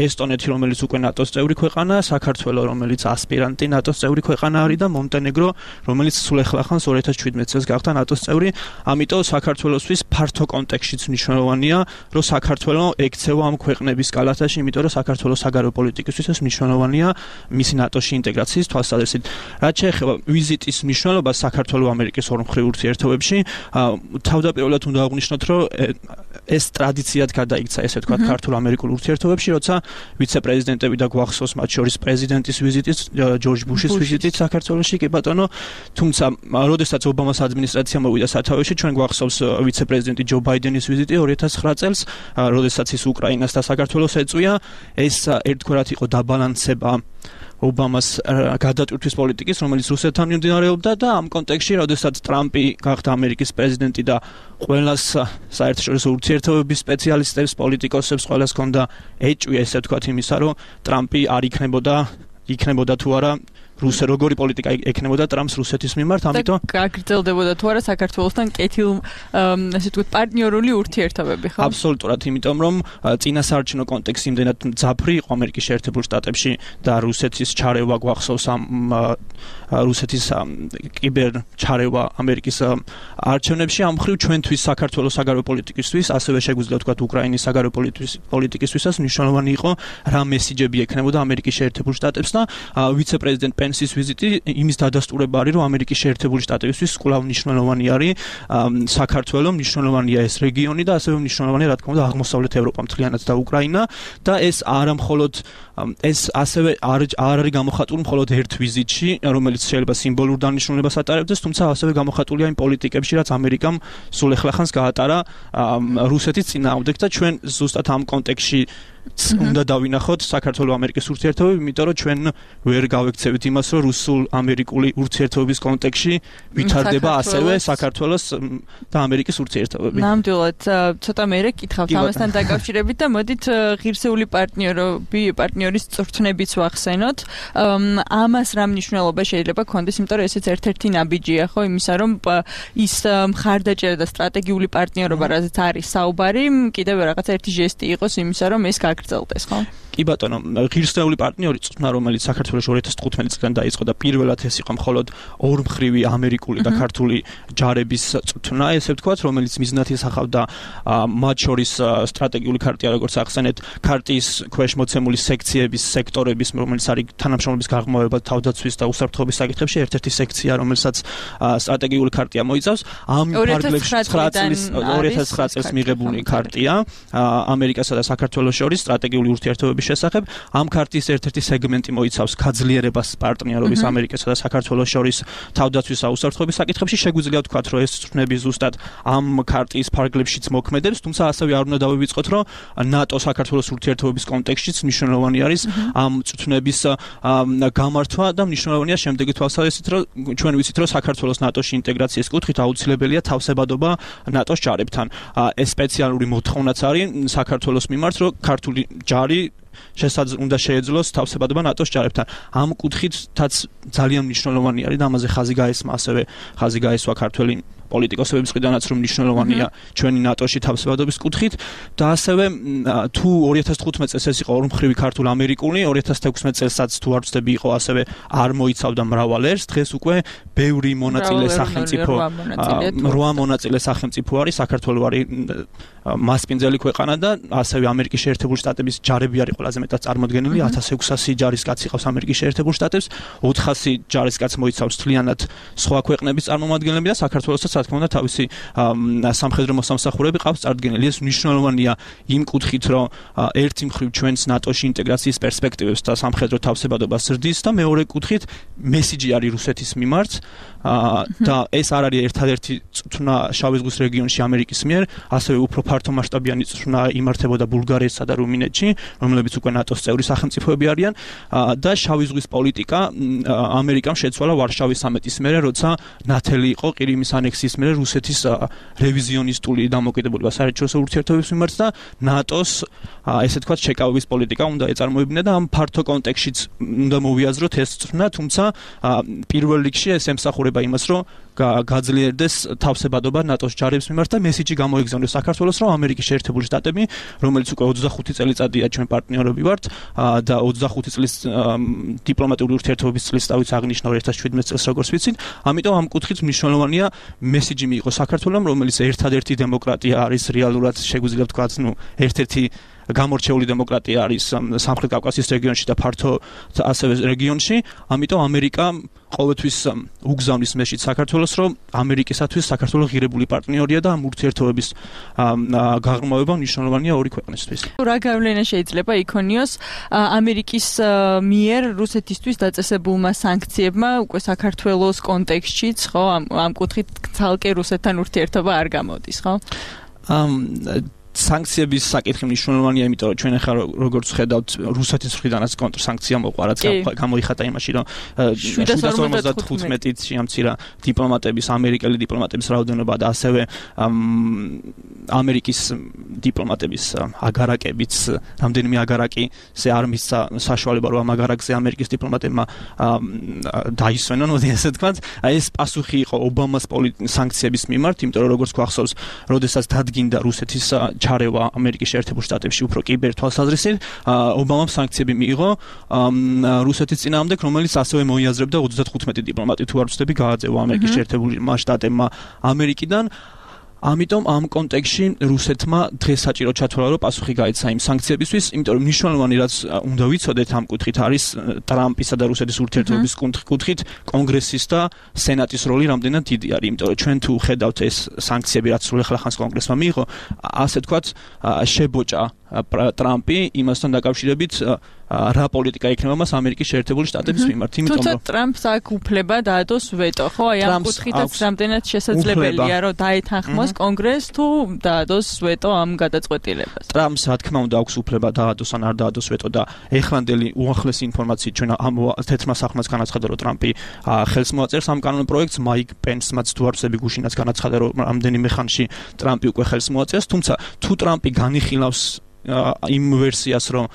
ესტონეთი, რომელიც უკვე ნატოს წევრი ქვეყანაა, საქართველო, რომელიც ასპირანტი ნატოს წევრი ქვეყანა არის და მონტენეგრო, რომელიც სულ ახლახანს ორი ათას შვიდმეტ წელს გახდა ნატოს წევრი. ამიტომ საქართველოსთვის ფართო კონტექსტშიც მნიშვნელოვანია, რომ საქართველო ექცევა ამ ქვეყნების კალათაში, იმიტომ რომ საქართველოს საგარეო პოლიტიკისთვის ეს მნიშვნელოვანია მისი ნატოში ინტეგრაციის თვალსაზრისით. რაც შეეხება ვიზიტის მნიშვნელობას საქართველო-ამერიკის ორმხრივ ურთიერთობებში, თავდაპირველად უნდა აღვნიშნოთ, რომ ეს ტრადიციად გადაიქცა, ესე ვთქვათ, ქართულ-ამერიკულ ურთიერთობებში, როცა ვიცე-პრეზიდენტები და გვახსოვს მათ შორის პრეზიდენტის ვიზიტიც, ჯორჯ ბუშის ვიზიტიც საქართველოში, კი ბატონო, თუმცა როდესაც ობამას ადმინისტრაცია მოვიდა სათავეში, ჩვენ გვახსოვს ვიცე-პრეზიდენტი ჯო ბაიდენის ვიზიტი ორი ათას ცხრა წელს, როდესაც ის უკრაინას და საქართველოს ეწვია, ეს ერთგვარად იყო დაბალანსება ობამას გადატვირთვის პოლიტიკის, რომელიც რუსეთთან მიმდინარეობდა და ამ კონტექსტში, როდესაც ტრამპი გახდა ამერიკის პრეზიდენტი და ყველას საერთაშორისო ურთიერთობების სპეციალისტებს, პოლიტიკოსებს ყველას ჰქონდა ეჭვი, ესე ვთქვათ, იმისა, რომ ტრამპი არ იქნებოდა, იქნებოდა თუ არა რუსე როგორი პოლიტიკა ექნებოდა ტრამპს რუსეთის მიმართ, ამიტომ გაგრძელდებოდა თუ არა საქართველოსთან კეთილ, ასე ვთქვათ, პარტნიორული ურთიერთობები, ხო? აბსოლუტურად, იმიტომ რომ წინასაარჩევნო კონტექსტი იმდენად მძაფრი იყო ამერიკის შეერთებულ შტატებში და რუსეთის ჩარევა გვახსოვს ამ რუსეთის კიბერ ჩარევა ამერიკის არჩევნებში, ამ მხრივ ჩვენთვის საქართველოს საგარეო პოლიტიკისთვის, ასევე შეგვიძლია ვთქვათ უკრაინის საგარეო პოლიტიკისთვისაც მნიშვნელოვანი იყო რა მესიჯები ექნებოდა ამერიკის შეერთებულ შტატებს და ვიცე-პრეზიდენტ პენსის ვიზიტი იმის დადასტურება არის, რომ ამერიკის შეერთებული შტატებისთვის კვლავ მნიშვნელოვანი არის საქართველო, მნიშვნელოვანია ეს რეგიონი და ასევე მნიშვნელოვანია, რა თქმა უნდა, აღმოსავლეთ ევროპა მთლიანად და უკრაინა და ეს არა მხოლოდ ეს ასევე არ არის გამოხატული მხოლოდ ერთ ვიზიტში, რომელიც შეიძლება სიმბოლურ დანიშნულებას ატარებდეს, თუმცა ასევე გამოხატულია იმ პოლიტიკებში, რაც ამერიკამ სულ ახლახანს გაატარა რუსეთის წინააღმდეგ და ჩვენ ზუსტად ამ კონტექსტში უნდა დავინახოთ საქართველო-ამერიკის ურთიერთობები, იმიტომ რომ ჩვენ ვერ გავექცევით იმას, რომ რუსულ-ამერიკული ურთიერთობების კონტექსტში ვითარდება ასევე საქართველოს და ამერიკის ურთიერთობები. ნამდვილად, ცოტა მეერე კითხავთ ამასთან დაკავშირებით და მოდით ღირსეული პარტნიორები, პარტნიორის წვრთნებიც ვახსენოთ. ამას რა მნიშვნელობა შეიძლება ქონდეს, იმიტომ რომ ესეც ერთ-ერთი ნაბიჯია, ხო, იმისა, რომ ის მხარდაჭერა და სტრატეგიული პარტნიორობა, რაზეც არის საუბარი, კიდევ რაღაცა ერთი ჟესტი იყოს იმისა, რომ ეს გაგრძელდეს, ხო? კი ბატონო, ღირსეული პარტნიორი წვრთნა, რომელიც საქართველოში ორი ათას თხუთმეტი წლიდან დაიწყო და პირველად ეს იყო მხოლოდ ორმხრივი ამერიკული და ქართული ჯარების წვრთნა, ესე ვთქვათ, რომელიც მიზნად ისახავდა მათ შორის სტრატეგიული ქარტია, როგორც ახსენეთ, ქარტიის ქვეშ მოცემული სექციების, სექტორების, რომელიც არის თანამშრომლობის გაღრმავება თავდაცვის და უსაფრთხოების საკითხებში, ერთ-ერთი სექცია, რომელსაც სტრატეგიული ქარტია მოიცავს. ამ ფარგლებში ცხრა წლის ორი ათას ცხრა წელს მიღებული ქარტია ამერიკასა და საქართველოს შორის სტრატეგიული ურთიერთობების შესახებ. ამ ქარტიის ერთ-ერთი სეგმენტი მოიცავს გაძლიერებას პარტნიორობის ამერიკასა და საქართველოს შორის თავდაცვის და უსაფრთხოების საკითხებში. შეგვიძლია ვთქვათ, რომ ეს წვრთნები ზუსტად ამ ქარტიის ფარგლებშიც მოქმედებს, თუმცა ასევე არ უნდა დავივიწყოთ, რომ ნატო საქართველოს ურთიერთობების კონტექსტშიც მნიშვნელოვანი არის ამ წვრთნების გამართვა და მნიშვნელოვანია შემდეგი თვალსაზრისით, რომ ჩვენ ვიცით, რომ საქართველოს ნატოში ინტეგრაციის კუთხით აუცილებელია თავსებადობა ნატოს ჯარებთან. ეს სპეციალური მოთხოვნაც არის საქართველოს მიმართ, რომ ქართული ჯარი შესაძლოა უნდა შეეძლოს თავსებადობა ნატოს ჯარებთან. ამ კუთხითაც ძალიან მნიშვნელოვანი არის და ამაზე ხაზი გაესმა, ასევე ხაზი გაესვა ქართველი პოლიტიკოსების მხრიდანაც, რომ მნიშვნელოვანია ჩვენი ნატოში თავსებადობის კუთხით და ასევე თუ ორი ათას თხუთმეტი წელს ეს იყო ორმხრივი ქართულ-ამერიკული, ორი ათას თექვსმეტი წელსაც თუ არ ვცდები იყო ასევე არ მოიცავდა მრავალ ერს, დღეს უკვე ბევრი მონაწილე სახელმწიფო რვა მონაწილე სახელმწიფო არის, საქართველო არის მასპინძელი ქვეყანა და ასევე ამერიკის შეერთებული შტატების ჯარები არის ყველაზე მეტად წარმოდგენილი, ათას ექვსასი ჯარისკაცი ყავს ამერიკის შეერთებულ შტატებს, ოთხასი ჯარისკაცი მოიცავს მთლიანად სხვა ქვეყნების წარმომადგენლები და საქართველოსაც რა თქმა უნდა თავისი სამხედრო მოსამსახურეები ყავს წარდგენილი. ეს მნიშვნელოვანია იმ კუთხით, რომ ერთი მხრივ ჩვენს ნატოში ინტეგრაციის პერსპექტივებს და სამხედრო თავსებადობას ზრდის და მეორე კუთხით მესიჯი არის რუსეთის მიმართ და ეს არ არის ერთადერთი წვრთნა შავი ზღვის რეგიონში ამერიკის მიერ, ასევე უფრო ფართო მასშტაბიანი წვრთნა იმართებოდა ბულგარეთსა და რუმინეთში, რომლებიც უკვე ნატოს წევრი სახელმწიფოები არიან და შავი ზღვის პოლიტიკა ამერიკამ შეცვალა ვარშავის სამიტის მერე, როცა ნათელი იყო ყირიმის ანექსიის მერე რუსეთის რევიზიონისტული დამოკიდებულება საერთაშორისო ურთიერთობების მიმართ და ნატოს ესე ვთქვათ შეკავების პოლიტიკა უნდა ეწარმოებინა და ამ ფართო კონტექსტშიც უნდა მოვიაზროთ ეს წვრთნა, თუმცა პირველ რიგში ეს ემსახურება იმას, რომ გაძლიერდეს თავსებადობა ნატოს ჯარების მიმართ და მესიჯი გამოიგზავნოს საქართველოს, რომ ამერიკის შეერთებული შტატები, რომელიც უკვე ოცდახუთი წელიწადია ჩვენ პარტნიორები ვართ და ოცდახუთი წლის დიპლომატიური ურთიერთობების წლის დავით აღნიშნა ორი ათას შვიდმეტი წელს როგორც ვიცით, ამიტომ ამ კუთხით მნიშვნელოვანია მესიჯი მიიღოს საქართველოს, რომელიც ერთადერთი დემოკრატია არის რეალურად, შეგვიძლია ვთქვათ, ნუ ერთ-ერთი გამორჩეული დემოკრატია არის სამხრეთ კავკასიის რეგიონში და ფართო ასევე რეგიონში, ამიტომ ამერიკა ყოველთვის უგზავნის მეშით საქართველოს, რომ ამერიკისათვის საქართველოს ღირებული პარტნიორია და ამ ურთიერთობების გაღრმავება მნიშვნელოვანია ორი ქვეყნისთვის. რა გავლენა შეიძლება იქონიოს ამერიკის მიერ რუსეთისთვის დაწესებულმა სანქციებმა უკვე საქართველოს კონტექსტშიც, ხო, ამ კუთხით ცალკე რუსეთთან ურთიერთობა არ გამოდის, ხო? სანქციების საკითხი მნიშვნელოვანია, იმიტომ რომ ჩვენ ახლა როგორც ხედავთ, რუსეთის მხრიდანაც კონტრსანქცია მოყვა, რაც გამოიხატა იმაში, რომ შვიდას ორმოცდათხუთმეტით შეამცირა დიპლომატების, ამერიკელი დიპლომატების რაოდენობა და ასევე ამერიკის დიპლომატების აგარაკებიც, რამდენიმე აგარაკზე არ მისცა საშუალება, რომ ამ აგარაკზე ამერიკის დიპლომატებმა დაისვენონ, მოდი ასე ვთქვათ. ეს პასუხი იყო ობამას სანქციების მიმართ, იმიტომ რომ როგორც გვახსოვს, როდესაც დადგინდა რუსეთის ჩარევა ამერიკის შეერთებულ შტატებში უფრო კიბერ თვალსაზრისით, ობამამ სანქციები მიიღო რუსეთის წინააღმდეგ, რომელიც ასევე მოიაზრებდა ოცდათხუთმეტი დიპლომატი თუ არ ვცდები გააძევა ამერიკის შეერთებულმა შტატებმა ამერიკიდან. ამიტომ ამ კონტექსტში რუსეთმა დღეს საჭირო ჩათვალა, რომ პასუხი გაეცა იმ სანქციებისთვის, იმიტომ რომ მნიშვნელოვანი რაც უნდა ვიცოდეთ ამ კუთხით არის ტრამპისა და რუსეთის ურთიერთობების კუთხით კონგრესის და სენატის როლი რამდენად დიდი არის, იმიტომ რომ ჩვენ თუ ხედავთ ეს სანქციები, რაც სულ ახალხანს კონგრესმა მიიღო, ასე ვთქვათ, შებოჭა ტრამპი იმასთან დაკავშირებით რა პოლიტიკა იქნება მას ამერიკის შეერთებული შტატების მიმართ, იმიტომ რომ ტრამპს აქვს უფლება დაადოს ვეტო, ხო? აი ამ კუთხითაც რამდენად შესაძლებელია, რომ დაეთანხმოს კონგრესს თუ დაადოს ვეტო ამ გადაწყვეტილებას. ტრამპს რა თქმა უნდა აქვს უფლება დაადოს ან არ დაადოს ვეტო და ეხლანდელი უახლესი ინფორმაციით ჩვენ ამ თეთრმა სახლმაც განაცხადა, რომ ტრამპი ხელს მოაწერს ამ კანონ პროექტს, მაიკ პენსმაც თუ არ ვცდები გუშინაც განაცხადა, რომ რამდენიმე ხანში ტრამპი უკვე ხელს მოაწერს, თუმცა თუ ტრამპი განიხილავს იმ ვერსიას, რომ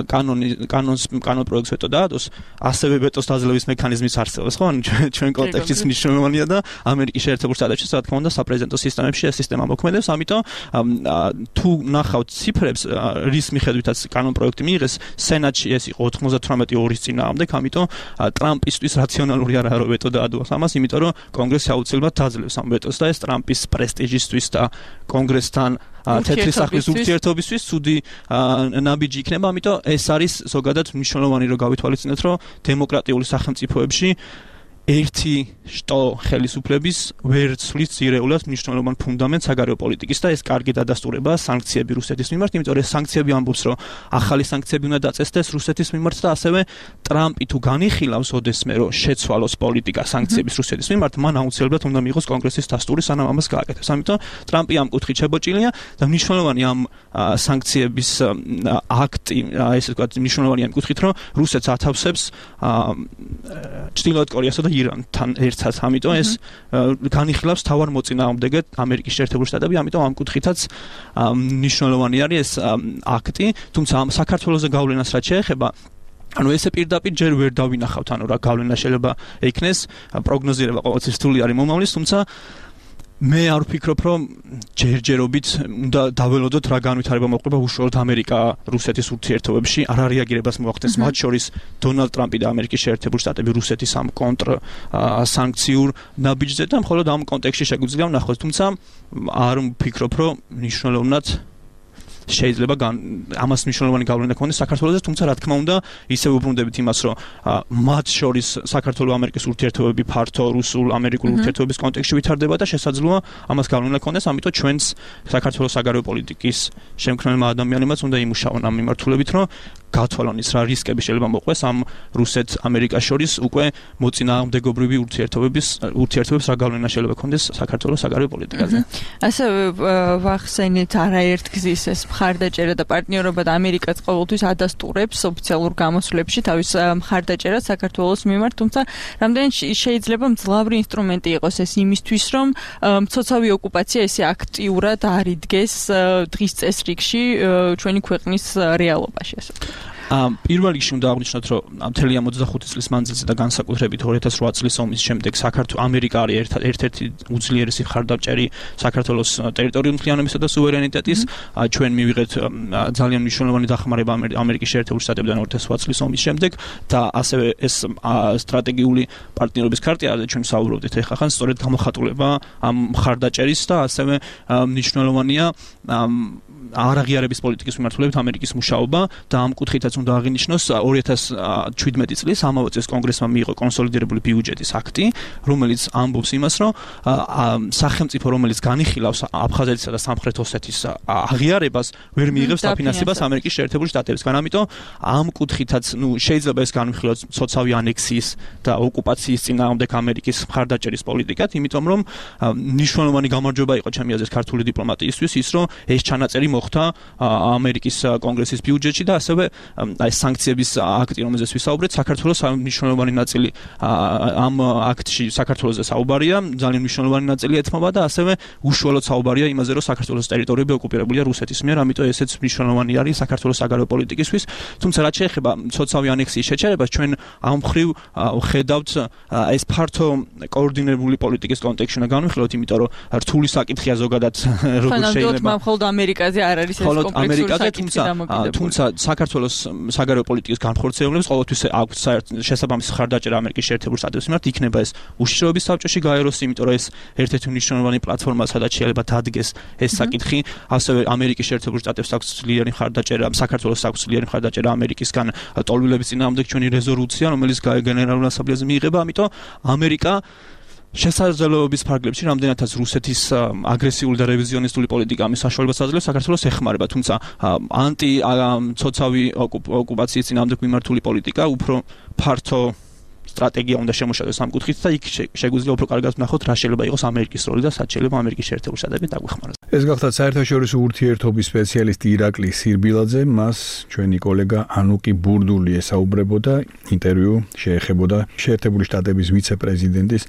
კანონი კანონს კანონ პროექტს ვეტო დაადოს, ასევე ვეტოს დაძლევის მექანიზმიც არსებობს, ხო? ჩვენ კონტექსტიც მნიშვნელოვანია და ამერიკის შეერთებულ შტატებში, რა თქმა უნდა, საპრეზიდენტო სისტემებში ეს სისტემა მოქმედებს, ამიტომ თუ ნახავთ ციფრებს, რის მიხედვითაც კანონ პროექტი მიიღეს, სენატში ეს იყო ოთხმოცდათვრამეტი ორის წინააღმდეგ, ამიტომ ტრამპისთვის რაციონალური არ არის ვეტო დაადოს ამას, იმიტომ რომ კონგრესი აუცილებლად დაძლევს ამ ვეტოს და ეს ტრამპის პრესტიჟისთვის და კონგრესთან თეთრი სახლის ურთიერთობისთვის ცუდი ნაბიჯი იქნება, ამიტომ ეს არის ზოგადად მნიშვნელოვანი, რომ გავითვალისწინოთ, რომ დემოკრატიული სახელმწიფოებში ერთი შტო ხელისუფლების ვერ ცვლის ძირეულად მნიშვნელოვან ფუნდამენტს საგარეო პოლიტიკის და ეს კარგი დადასტურებაა სანქციები რუსეთის მიმართ, იმიტომ რომ ეს სანქციები ამბობს, რომ ახალი სანქციები უნდა დაწესდეს რუსეთის მიმართ და ასევე ტრამპი თუ განიხილავს ოდესმე, რომ შეცვალოს პოლიტიკა სანქციების რუსეთის მიმართ, მან აუცილებლად უნდა მიიღოს კონგრესის დასტური, სანამ ამას გააკეთებს. ამიტომ ტრამპი ამ კუთხით შებოჭილია და მნიშვნელოვანი ამ სანქციების აქტი, ესე ვთქვათ, მნიშვნელოვანია იმ კუთხით, რომ რუსეთს ათავსებს ჩრდილოეთ კორეასა და ირანთან ერთად, ამიტომ ეს განიხილავს თავარ მოწინააღმდეგედ ამერიკის შეერთებული შტატები, ამიტომ ამ კუთხითაც მნიშვნელოვანი არის ეს აქტი, თუმცა ამ საქართველოზე გავლენას რაც შეეხება, ანუ ესე პირდაპირ ჯერ ვერ დავინახავთ, ანუ რა გავლენა შეიძლება ექნეს, პროგნოზირება ყოველთვის რთული არის მომავლის, თუმცა მე არ ვფიქრობ, რომ ჯერჯერობით უნდა დაველოდოთ რა განვითარება მოხდება უშუალოდ ამერიკა-რუსეთის ურთიერთობებში, არ რეაგირებას მოახდენს, მათ შორის დონალდ ტრამპი და ამერიკის შეერთებული შტატები რუსეთის ამ კონტრ სანქციურ ნაბიჯზე და მხოლოდ ამ კონტექსტში შეგვიძლია ვნახოთ, თუმცა არ ვფიქრობ, რომ მნიშვნელოვნად შეიძლება ამას მნიშვნელოვანი გავლენა ქონდეს საქართველოზე, თუმცა რა თქმა უნდა, ისევ უბრუნდებით იმას, რომ მათ შორის საქართველო-ამერიკის ურთიერთობები ფართო რუსულ-ამერიკულ ურთიერთობების კონტექსტში ვითარდება და შესაძლოა ამას გავლენა ქონდეს, ამიტომ ჩვენს საქართველოს საგარეო პოლიტიკის შემქმნელმა ადამიანებმაც უნდა იმუშაონ ამ მიმართულებით, რომ გათვალონ ის რა რისკები შეიძლება მოყვეს ამ რუსეთ-ამერიკას შორის უკვე მოწინააღმდეგობრივი ურთიერთობების ურთიერთობებს რა გავლენა შეიძლება ქონდეს საქართველოს საგარეო პოლიტიკაზე. ასევე ვახსენეთ არაერთგზის ეს მხარდაჭერა და პარტნიორობა და ამერიკაც ყოველთვის ადასტურებს ოფიციალურ გამოსვლებში თავის მხარდაჭერას საქართველოს მიმართ, თუმცა რამდენად შეიძლება მძლავრი ინსტრუმენტი იყოს ეს იმისთვის, რომ მცოცავი ოკუპაცია ესე აქტიურად არ იდგეს დღის წესრიგში ჩვენი ქვეყნის რეალობაში, ასე ვთქვათ. პირველ რიგში უნდა აღვნიშნოთ, რომ მთელი ამ ოცდახუთი წლის მანძილზე და განსაკუთრებით ორი ათას ოთხ წლის ომის შემდეგ საქართველოს ამერიკა არის ერთ-ერთი უძლიერესი მხარდამჭერი საქართველოს ტერიტორიული მთლიანობისა და სუვერენიტეტის. ჩვენ მივიღეთ ძალიან მნიშვნელოვანი დახმარება ამერიკის შეერთებული შტატებიდან ორი ათას ოთხ წლის ომის შემდეგ და ასევე ეს სტრატეგიული პარტნიორობის ქარტია, რაც ჩვენ საუბრობდით ახლა ხან, სწორედ გამოხატულება ამ მხარდაჭერის და ასევე მნიშვნელოვანია არაღიარების პოლიტიკის მიმართულებით ამერიკის მუშაობა და ამ კუთხითაც უნდა აღინიშნოს ორი ათას შვიდმეტი წლის ამავე წელს კონგრესმა მიიღო კონსოლიდირებული ბიუჯეტის აქტი, რომელიც ამბობს იმას, რომ სახელმწიფო, რომელიც განიხილავს აფხაზეთისა და სამხრეთ ოსეთის აღიარებას, ვერ მიიღებს დაფინანსებას ამერიკის შეერთებული შტატებისგან. ამიტომ ამ კუთხითაც, ნუ შეიძლება ეს განვიხილოთ სოციალური ანექსიის და ოკუპაციის წინააღმდეგ ამერიკის მხარდაჭერის პოლიტიკად, იმიტომ რომ მნიშვნელოვანი გამარჯვება იყო ჩემი აზრით ქართული დიპლომატიისთვის ის, რომ ეს ჩანაწერი მოხდა ამერიკის კონგრესის ბიუჯეტში და ასევე აი სანქციების აქტი, რომელზეც ვისაუბრეთ, საქართველოს მნიშვნელოვანი ნაწილი ამ აქტში საქართველოსზე საუბარია, ძალიან მნიშვნელოვანი ნაწილი ეთმობა და ასევე უშუალოდ საუბარია იმაზე, რომ საქართველოს ტერიტორიები ოკუპირებულია რუსეთის მიერ, ამიტომ ესეც მნიშვნელოვანი არის საქართველოს საგარეო პოლიტიკისთვის. თუმცა რაც შეეხება სოციალური ანექსიის შეჩერებას, ჩვენ ამ მხრივ ხედავთ ეს ფართო კოორდინირებული პოლიტიკის კონტექსტში უნდა განვიხილოთ, იმიტომ რომ რთული საკითხია ზოგადად როგორ შეიძლება მხოლოდ ამერიკაზე არ არის ეს კომპლექსური საკითხი დამოკიდებული. თუმცა საქართველოს საგარეო პოლიტიკის განხორციელებას ყოველთვის აქვს შესაბამისი მხარდაჭერა ამერიკის შეერთებული შტატების მიმართ, იქნება ეს უშიშროების საბჭოში გაეროს, იმიტომ რომ ეს ერთ-ერთი მნიშვნელოვანი პლატფორმა, სადაც შეიძლება დადგეს ეს საკითხი. ასევე ამერიკის შეერთებული შტატებს აქვს ძლიერი მხარდაჭერა, საქართველოს აქვს ძლიერი მხარდაჭერა ამერიკისგან ტოლვილების წინააღმდეგ ჩვენი რეზოლუცია, რომელიც გენერალურ ასამბლეაზე მიიღება, ამიტომ ამერიკა შესაძლებლობების ფარგლებში რამდენადაც რუსეთის აგრესიული და რევიზიონისტული პოლიტიკა ამის საშუალებას აძლევს საქართველოს ეხმარება, თუმცა ანტი ცოცავი ოკუპაციის წინააღმდეგ მიმართული პოლიტიკა უფრო ფართო სტრატეგია უნდა შემოშალოს ამ კუთხით და იქ შეგვიძლია უფრო კარგად ვნახოთ რა შეიძლება იყოს ამერიკის როლი და სად შეიძლება ამერიკის შეერთებული შტატები დაგვეხმაროს. ეს გახლავთ საერთაშორისო ურთიერთობის სპეციალისტი ირაკლი სირბილაძე, მას ჩვენი კოლეგა ანუკი ბურდული ესაუბრებოდა, ინტერვიუ შეეხებოდა შეერთებული შტატების ვიცე-პრეზიდენტის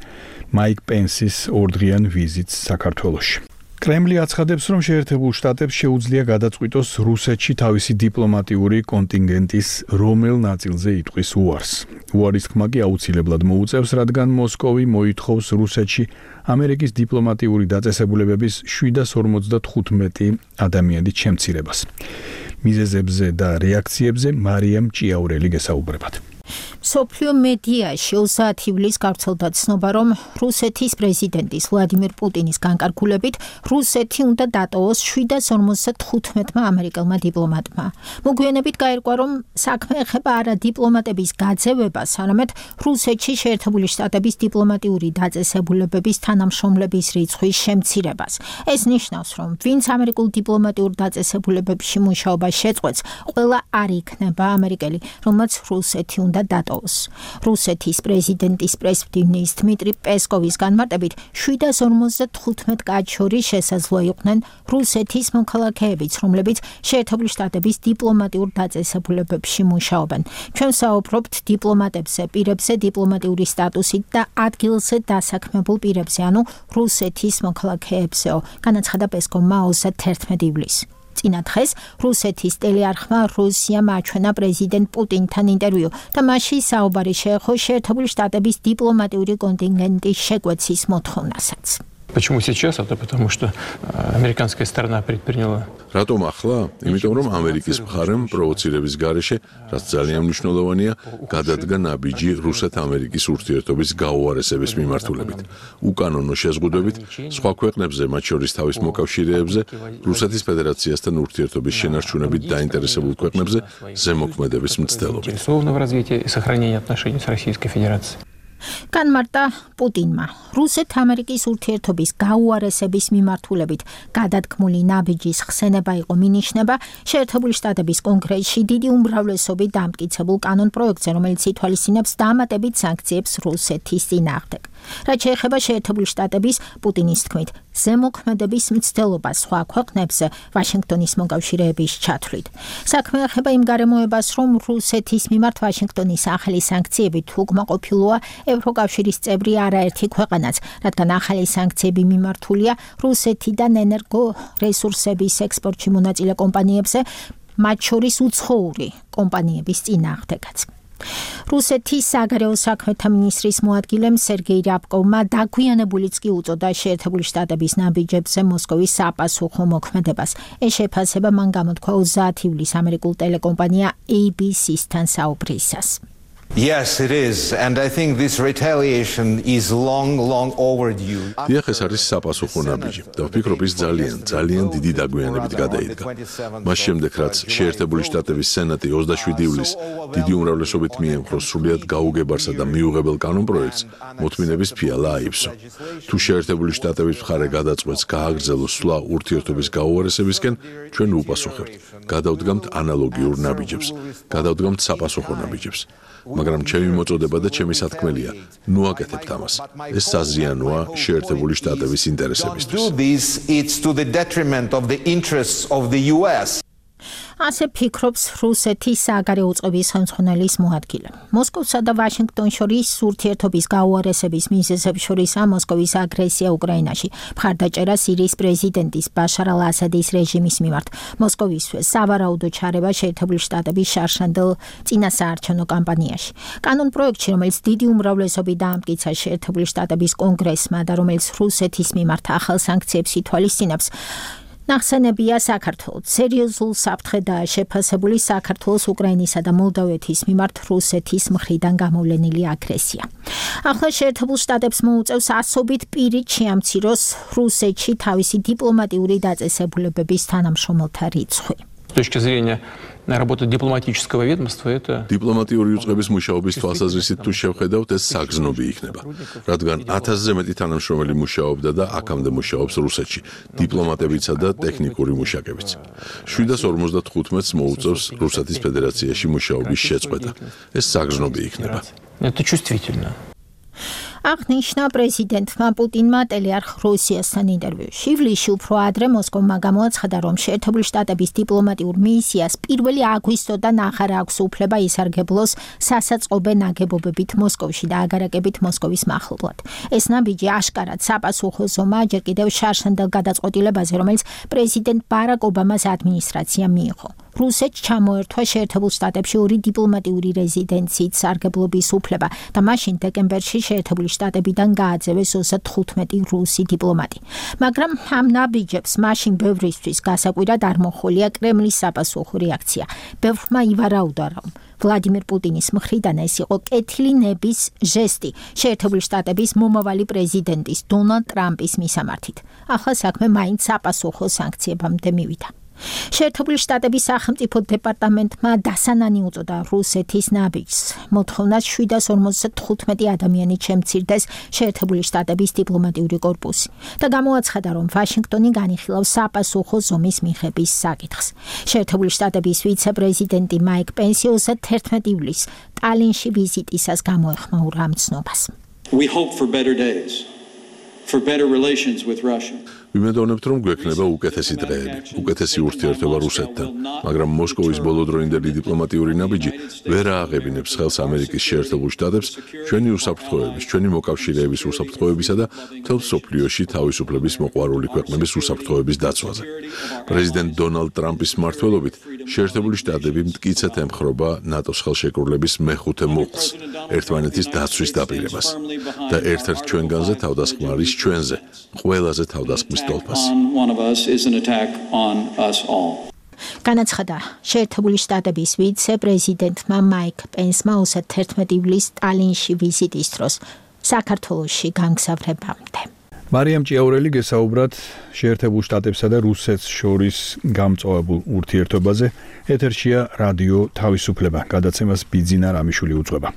მაიკ პენსის ორდღიან ვიზიტს საქართველოში. კრემლი აცხადებს, რომ შეერთებულ შტატებს შეუძლია გადაწყვიტოს რუსეთში თავისი დიპლომატიური კონტინგენტის რომელ ნაწილზე იტყვის უარს. უარის თქმა კი აუცილებლად მოუწევს, რადგან მოსკოვი მოითხოვს რუსეთში ამერიკის დიპლომატიური დაწესებულებების შვიდას ორმოცდათხუთმეტი ადამიანის შემცირებას. მიზეზებზე და რეაქციებზე მარიამ ჭიაურელი გესაუბრებათ. სოფლიო მედიაში ოცდაათი ივლისს გავრცელდა ცნობა, რომ რუსეთის პრეზიდენტის ვლადიმერ პუტინის განკარგულებით რუსეთი უნდა დატოვოს შვიდას ორმოცდათხუთმეტმა ამერიკელმა დიპლომატმა. მოგვიანებით გაირკვა, რომ საქმე ეხება არა დიპლომატების გაძევებას, არამედ რუსეთში შეერთებული შტატების დიპლომატიური დაწესებულებების თანამშრომლების რიცხვის შემცირებას. ეს ნიშნავს, რომ ვინც ამერიკულ დიპლომატიურ დაწესებულებებში მუშაობას შეწყვეტს, ყველა არ იქნება ამერიკელი, რომელმაც რუსეთი უნდა დატოვოს. რუსეთის პრეზიდენტის პრესმდივნის დმიტრი პესკოვის განმარტებით შვიდას ორმოცდათხუთმეტ კაცს შორის შესაძლოა იყვნენ რუსეთის მოქალაქეებიც, რომლებიც შეერთებული შტატების დიპლომატიურ დაწესებულებებში მუშაობენ. ჩვენ საუბრობთ დიპლომატებზე, პირებზე დიპლომატიური სტატუსით და ადგილზე დასაქმებულ პირებზე, ანუ რუსეთის მოქალაქეებზეო, განაცხადა პესკოვმა ოცდაათი ივლისს. წინა დღეს რუსეთის ტელეარხმა რუსიამ აჩვენა პრეზიდენტ პუტინთან ინტერვიუ და მასში საუბარი შეეხო შეერთებული შტატების დიპლომატიური კონტინგენტის შეკვეცის მოთხოვნასაც. Почему сейчас? Это потому что американская сторона предприняла. Რატომ ახლა? Იმიტომ რომ ამერიკის მხარემ პროვოცირების გარეშე, რაც ძალიან მნიშვნელოვანია, გადადგა ნაბიჯი რუსეთ-ამერიკის ურთიერთობის გაუარესების მიმართულებით. უკანონო შეზღუდვებით სხვა ქვეყნებზე, მათ შორის თავის მოკავშირეებზე, რუსეთის ფედერაციასთან ურთიერთობის შენარჩუნებით დაინტერესებულ ქვეყნებზე ზემოქმედების მცდელობით. განმარტა პუტინმა რუსეთ-ამერიკის ურთიერთობის გაუარესების მიმართულებით გადადგმული ნაბიჯის ხსენება იყო მინიშნება შეერთებული შტატების კონგრესში დიდი უმრავლესობით დამტკიცებულ კანონპროექტზე, რომელიც ითვალისწინებს დამატებით სანქციებს რუსეთის წინააღმდეგ. რაც შეეხება შეერთებული შტატების პუტინის თქმით ზემოქმედების მცდელობას სხვა ქვეყნებზე ვაშინგტონის მოკავშირეების ჩათვლით. საქმე ეხება იმ გარემოებას, რომ რუსეთის მიმართ ვაშინგტონის ახალი სანქციებით უკმაყოფილოა ევროკავშირის წევრი არაერთი ქვეყანაც, რადგან ახალი სანქციები მიმართულია რუსეთიდან ენერგო რესურსების ექსპორტში მონაწილე კომპანიებზე, მათ შორის უცხოური კომპანიების წინააღმდეგაც. რუსეთის საგარეო საქმეთა მინისტრის მოადგილემ სერგეი რябკოვმა დაგვიანებულიც კი უწოდა შეერთებული შტატების ნაბიჯებზე მოსკოვის საპასუხო მოქმედებას. ეს შეფასება მან გამოთქვა ოცდაათი ივლისს ამერიკულ ტელეკომპანია A B C-სთან საუბრისას. Yes, it is, and I think this retaliation is long, long overdue. დიახ, ეს არის საპასუხო ნაბიჯი და ვფიქრობ ის ძალიან, ძალიან დიდი დაგვიანებით გადაიდგა. მას შემდეგ, რაც შეერთებული შტატების სენატი ოცდაშვიდი ივლისს დიდი უმრავლესობით მიემხრო სრულიად გაუგებარსა და მიუღებელ კანონპროექტს, მოთმინების ფიალა აიფსო. თუ შეერთებული შტატების მხარე გადაწყვეტს გააგრძელოს სვლა ურთიერთობის გაუარესებისკენ, ჩვენ უპასუხებთ. გადავდგამთ ანალოგიურ ნაბიჯებს, გადავდგამთ საპასუხო ნაბიჯებს. მაგრამ ჩემი მოწოდება და ჩემი სათქმელია, ნუ აკეთებთ ამას. ეს საზიანოა შეერთებული შტატების ინტერესებისთვის. It's to the detriment of the interests of the U S. ასე ფიქრობს რუსეთის საგარეო წყობის ხელმძღვანელის მოადგილე. მოსკოვსა და ვაშინგტონს შორის ურთიერთობის გაუარესების მიზეზებს შორისაა მოსკოვის აგრესია უკრაინაში, მხარდაჭერა სირიის პრეზიდენტის ბაშარ ალ-ასადის რეჟიმის მიმართ. მოსკოვისთვის სავარაუდო ჩარევა შეერთებული შტატების შარშანდელ წინასაარჩევნო კამპანიაში. კანონპროექტში, რომელიც დიდი უმრავლესობით დაამტკიცა შეერთებული შტატების კონგრესმა და რომელიც რუსეთის მიმართ ახალ სანქციებს ითვალისწინებს, ნახსენებია საქართველოს სერიოზულ საფრთხედ შეფასებული საქართველოს უკრაინისა და მოლდოვეთის მიმართ რუსეთის მხრიდან გამოვლენილი აგრესია. ახლა შეერთებულ შტატებს მოუწევს ასობით პირით შეამციროს რუსეთში თავისი დიპლომატიური დაწესებულებების თანამშრომელთა რიცხვი. С точки зрения работы дипломатического ведомства это დიპლომატიური უწყების მუშაობის თვალსაზრისით თუ შევხედავთ, ეს საგზნობი იქნება, რადგან ათასზე მეტი თანამშრომელი მუშაობდა და აქამდე მუშაობს რუსეთში, დიპლომატებიცა და ტექნიკური მუშაკებიც. შვიდას ორმოცდათხუთმეტს მოუწევს რუსეთის ფედერაციაში მუშაობის შეწყვეტა. ეს საგზნობი იქნება. Это чувствительно. აღნიშნა პრეზიდენტმა პუტინმა ტელეარხ რუსიასთან ინტერვიუში. ივლისში უფრო ადრე მოსკოვმა გამოაცხადა, რომ შეერთებული შტატების დიპლომატიურ მისიას პირველი აგვისტოდან აღარ აქვს უფლება ისარგებლოს სასაწყობე ნაგებობებით მოსკოვში და აგარაკებით მოსკოვის მახლობლად. ეს ნაბიჯი აშკარად საპასუხო ზომაა ჯერ კიდევ შარშანდელ გადაწყვეტილებაზე, რომელიც პრეზიდენტ ბარაკ ობამას ადმინისტრაციამ მიიღო. რუსეთს ჩამოერთვა შეერთებულ შტატებში ორი დიპლომატიური რეზიდენციით სარგებლობის უფლება და მაშინ დეკემბერში შეერთებული შტატებიდან გააძევეს ოცდათხუთმეტი რუსი დიპლომატი. მაგრამ ამ ნაბიჯებს მაშინ ბევრისთვის გასაკვირად არ მოჰყოლია კრემლის საპასუხო რეაქცია. ბევრმა ივარაუდა, რომ ვლადიმერ პუტინის მხრიდან ეს იყო კეთილი ნების ჟესტი შეერთებული შტატების მომავალი პრეზიდენტის დონალდ ტრამპის მისამართით. ახლა საქმე მაინც საპასუხო სანქციებამდე მივიდა. შეერთებული შტატების სახელმწიფო დეპარტამენტმა დასანანი უწოდა რუსეთის ნაბიჯს. მოთხოვნას შვიდას ორმოცდათხუთმეტი ადამიანით შემცირდეს შეერთებული შტატების დიპლომატიური კორპუსი და გამოაცხადა, რომ ვაშინგტონი განიხილავს საპასუხო ზომის მიღების საკითხს. შეერთებული შტატების ვიცე-პრეზიდენტი მაიკ პენსი ოცდაათერთმეტი ივლისს ტალინში ვიზიტისას გამოეხმაურა ამ ცნობას. We hope for better days, for better relations with Russia. ვიმედოვნებთ, რომ გვექნება უკეთესი დღეები, უკეთესი ურთიერთობა რუსეთთან, მაგრამ მოსკოვის ბოლოდროინდელი დიპლომატიური ნაბიჯი ვერ ააღებინებს ხელს ამერიკის შეერთებულ შტატებს ჩვენი უსაფრთხოების, ჩვენი მოკავშირეების უსაფრთხოებისა და მთელ მსოფლიოში თავისუფლების მოყვარული ქვეყნების უსაფრთხოების დაცვაზე. პრეზიდენტ დონალდ ტრამპის მმართველობით შეერთებული შტატები მტკიცედ ემხრობა ნატოს ხელშეკრულების მეხუთე მუხლს, ერთმანეთის დაცვის დაპირებას და ერთ-ერთ ჩვენგანზე თავდასხმარის ჩვენზე, ყველაზე თავდასხმის One of us is an attack on us all. განაცხადა შეერთებული შტატების ვიცე-პრეზიდენტმა მაიკ პენსმა ოცდაათერთმეტი ივლისს ტალინში ვიზიტის დროს საქართველოში გამგზავრებამდე. მარიამ ჭიაურელი გესაუბრათ შეერთებულ შტატებსა და რუსეთს შორის გამწვავებულ ურთიერთობაზე. ეთერშია რადიო თავისუფლება, გადაცემას ბიძინა რამიშვილი უძღვება.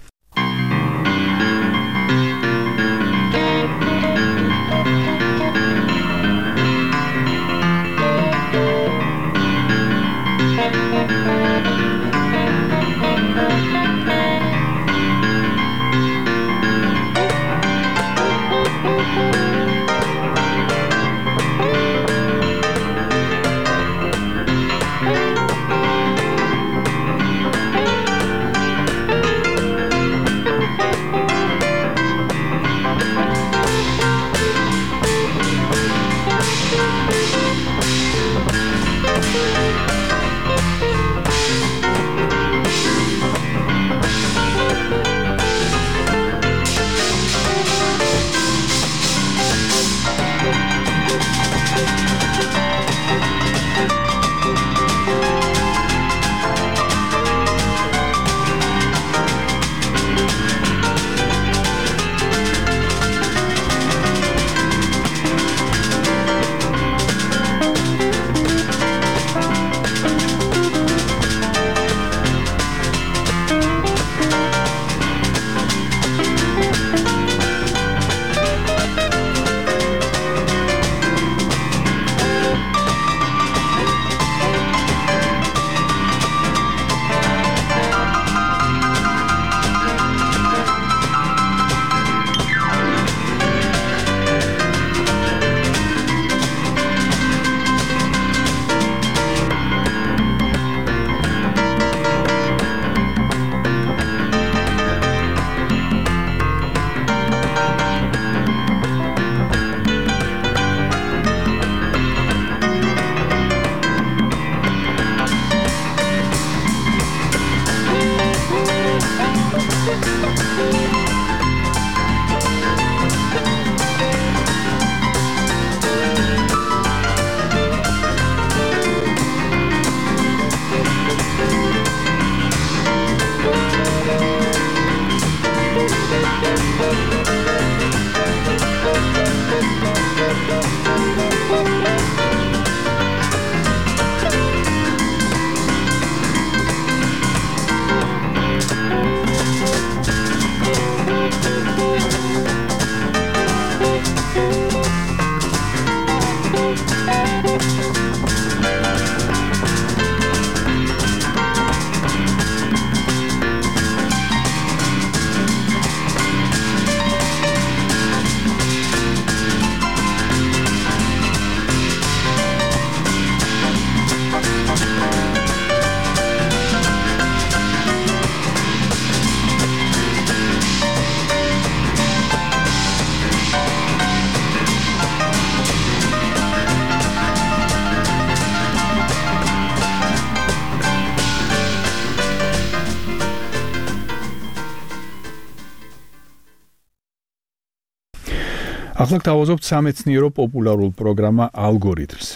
ახლა გავაზობთ სამეცნიერო პოპულარულ პროგრამა ალგორითმს.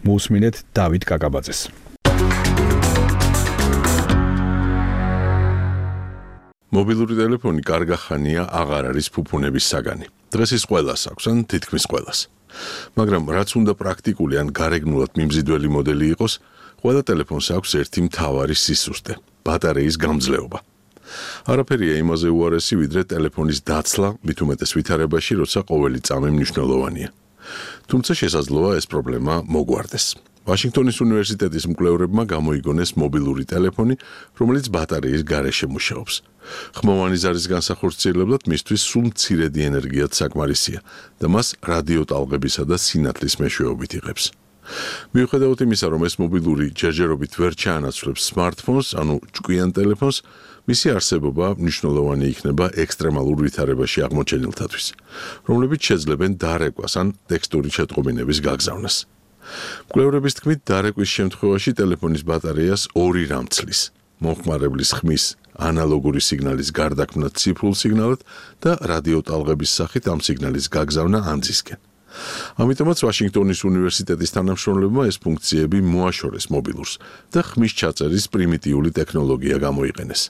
მოусმინეთ დავით კაკაბაძეს. მობილური ტელეფონი კარგახანია აღარ არის ფუფუნების საგანი. დღეს ის ყველას აქვს, ან თითქმის ყველას. მაგრამ რაც უნდა პრაქტიკული ან გარეგნულად მიმზიდველი მოდელი იყოს, ყველა ტელეფონს აქვს ერთი მთავარი სისუსტე – ბატარეის გამძლეობა. არაფერია იმაზე უარესი, ვიდრე ტელეფონის დაცლა, მით უმეტეს ვითარებაში, როცა ყოველი წამი მნიშვნელოვანია. თუმცა შესაძლოა ეს პრობლემა მოგვარდეს. ვაშინგტონის უნივერსიტეტის მკვლევრებმა გამოიგონეს მობილური ტელეფონი, რომელიც ბატარეის გარეშე მუშაობს. ხმოვანი ზარის განსახორციელებლად მისთვის სულ მცირედი ენერგიაც საკმარისია და მას რადიოტალღებისა და სინათლის მეშვეობით იღებს. მიუხედავად იმისა, რომ ეს მობილური ჯერჯერობით ვერ ჩაანაცვლებს სმარტფონს, ანუ ჭკვიან ტელეფონს, მისი არსებობა მნიშვნელოვანი იქნება ექსტრემალურ ვითარებაში აღმოჩენილთათვის, რომლებიც შეძლებენ დარეკვას ან ტექსტური შეტყობინების გაგზავნას. მკვლევრების თქმით, დარეკვის შემთხვევაში ტელეფონის ბატარეას ორი რამ ცლის: მომხმარებლის ხმის ანალოგური სიგნალის გარდაქმნა ციფრულ სიგნალად და რადიოტალღების სახით ამ სიგნალის გაგზავნა ანძისკენ. ამიტომაც ვაშინგტონის უნივერსიტეტის თანამშრომლებმა ეს ფუნქციები მოაშორეს მობილურს და ხმის ჩაწერის პრიმიტიული ტექნოლოგია გამოიყენეს.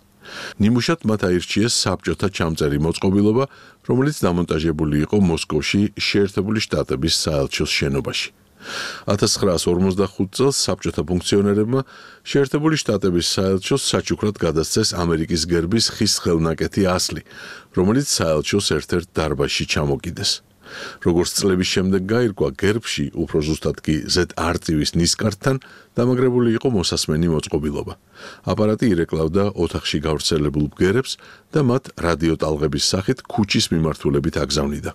ნიმუშად მათ აირჩიეს საბჭოთა ჩამწერი მოწყობილობა, რომელიც დამონტაჟებული იყო მოსკოვში შეერთებული შტატების საელჩოს შენობაში. ათას ცხრაას ორმოცდახუთ წელს საბჭოთა ფუნქციონერებმა შეერთებული შტატების საელჩოს საჩუქრად გადასცეს ამერიკის გერბის ხის ხელნაკეთი ასლი, რომელიც საელჩოს ერთ-ერთ დარბაზში ჩამოკიდეს. როგორც წლების შემდეგ გაირკვა, გერბში, უფრო ზუსტად კი ზედ არწივის ნისკარტთან დამაგრებული იყო მოსასმენი მოწყობილობა. აპარატი ირეკლავდა ოთახში გავრცელებულ ბგერებს და მათ რადიოტალღების სახით ქუჩის მიმართულებით აგზავნიდა.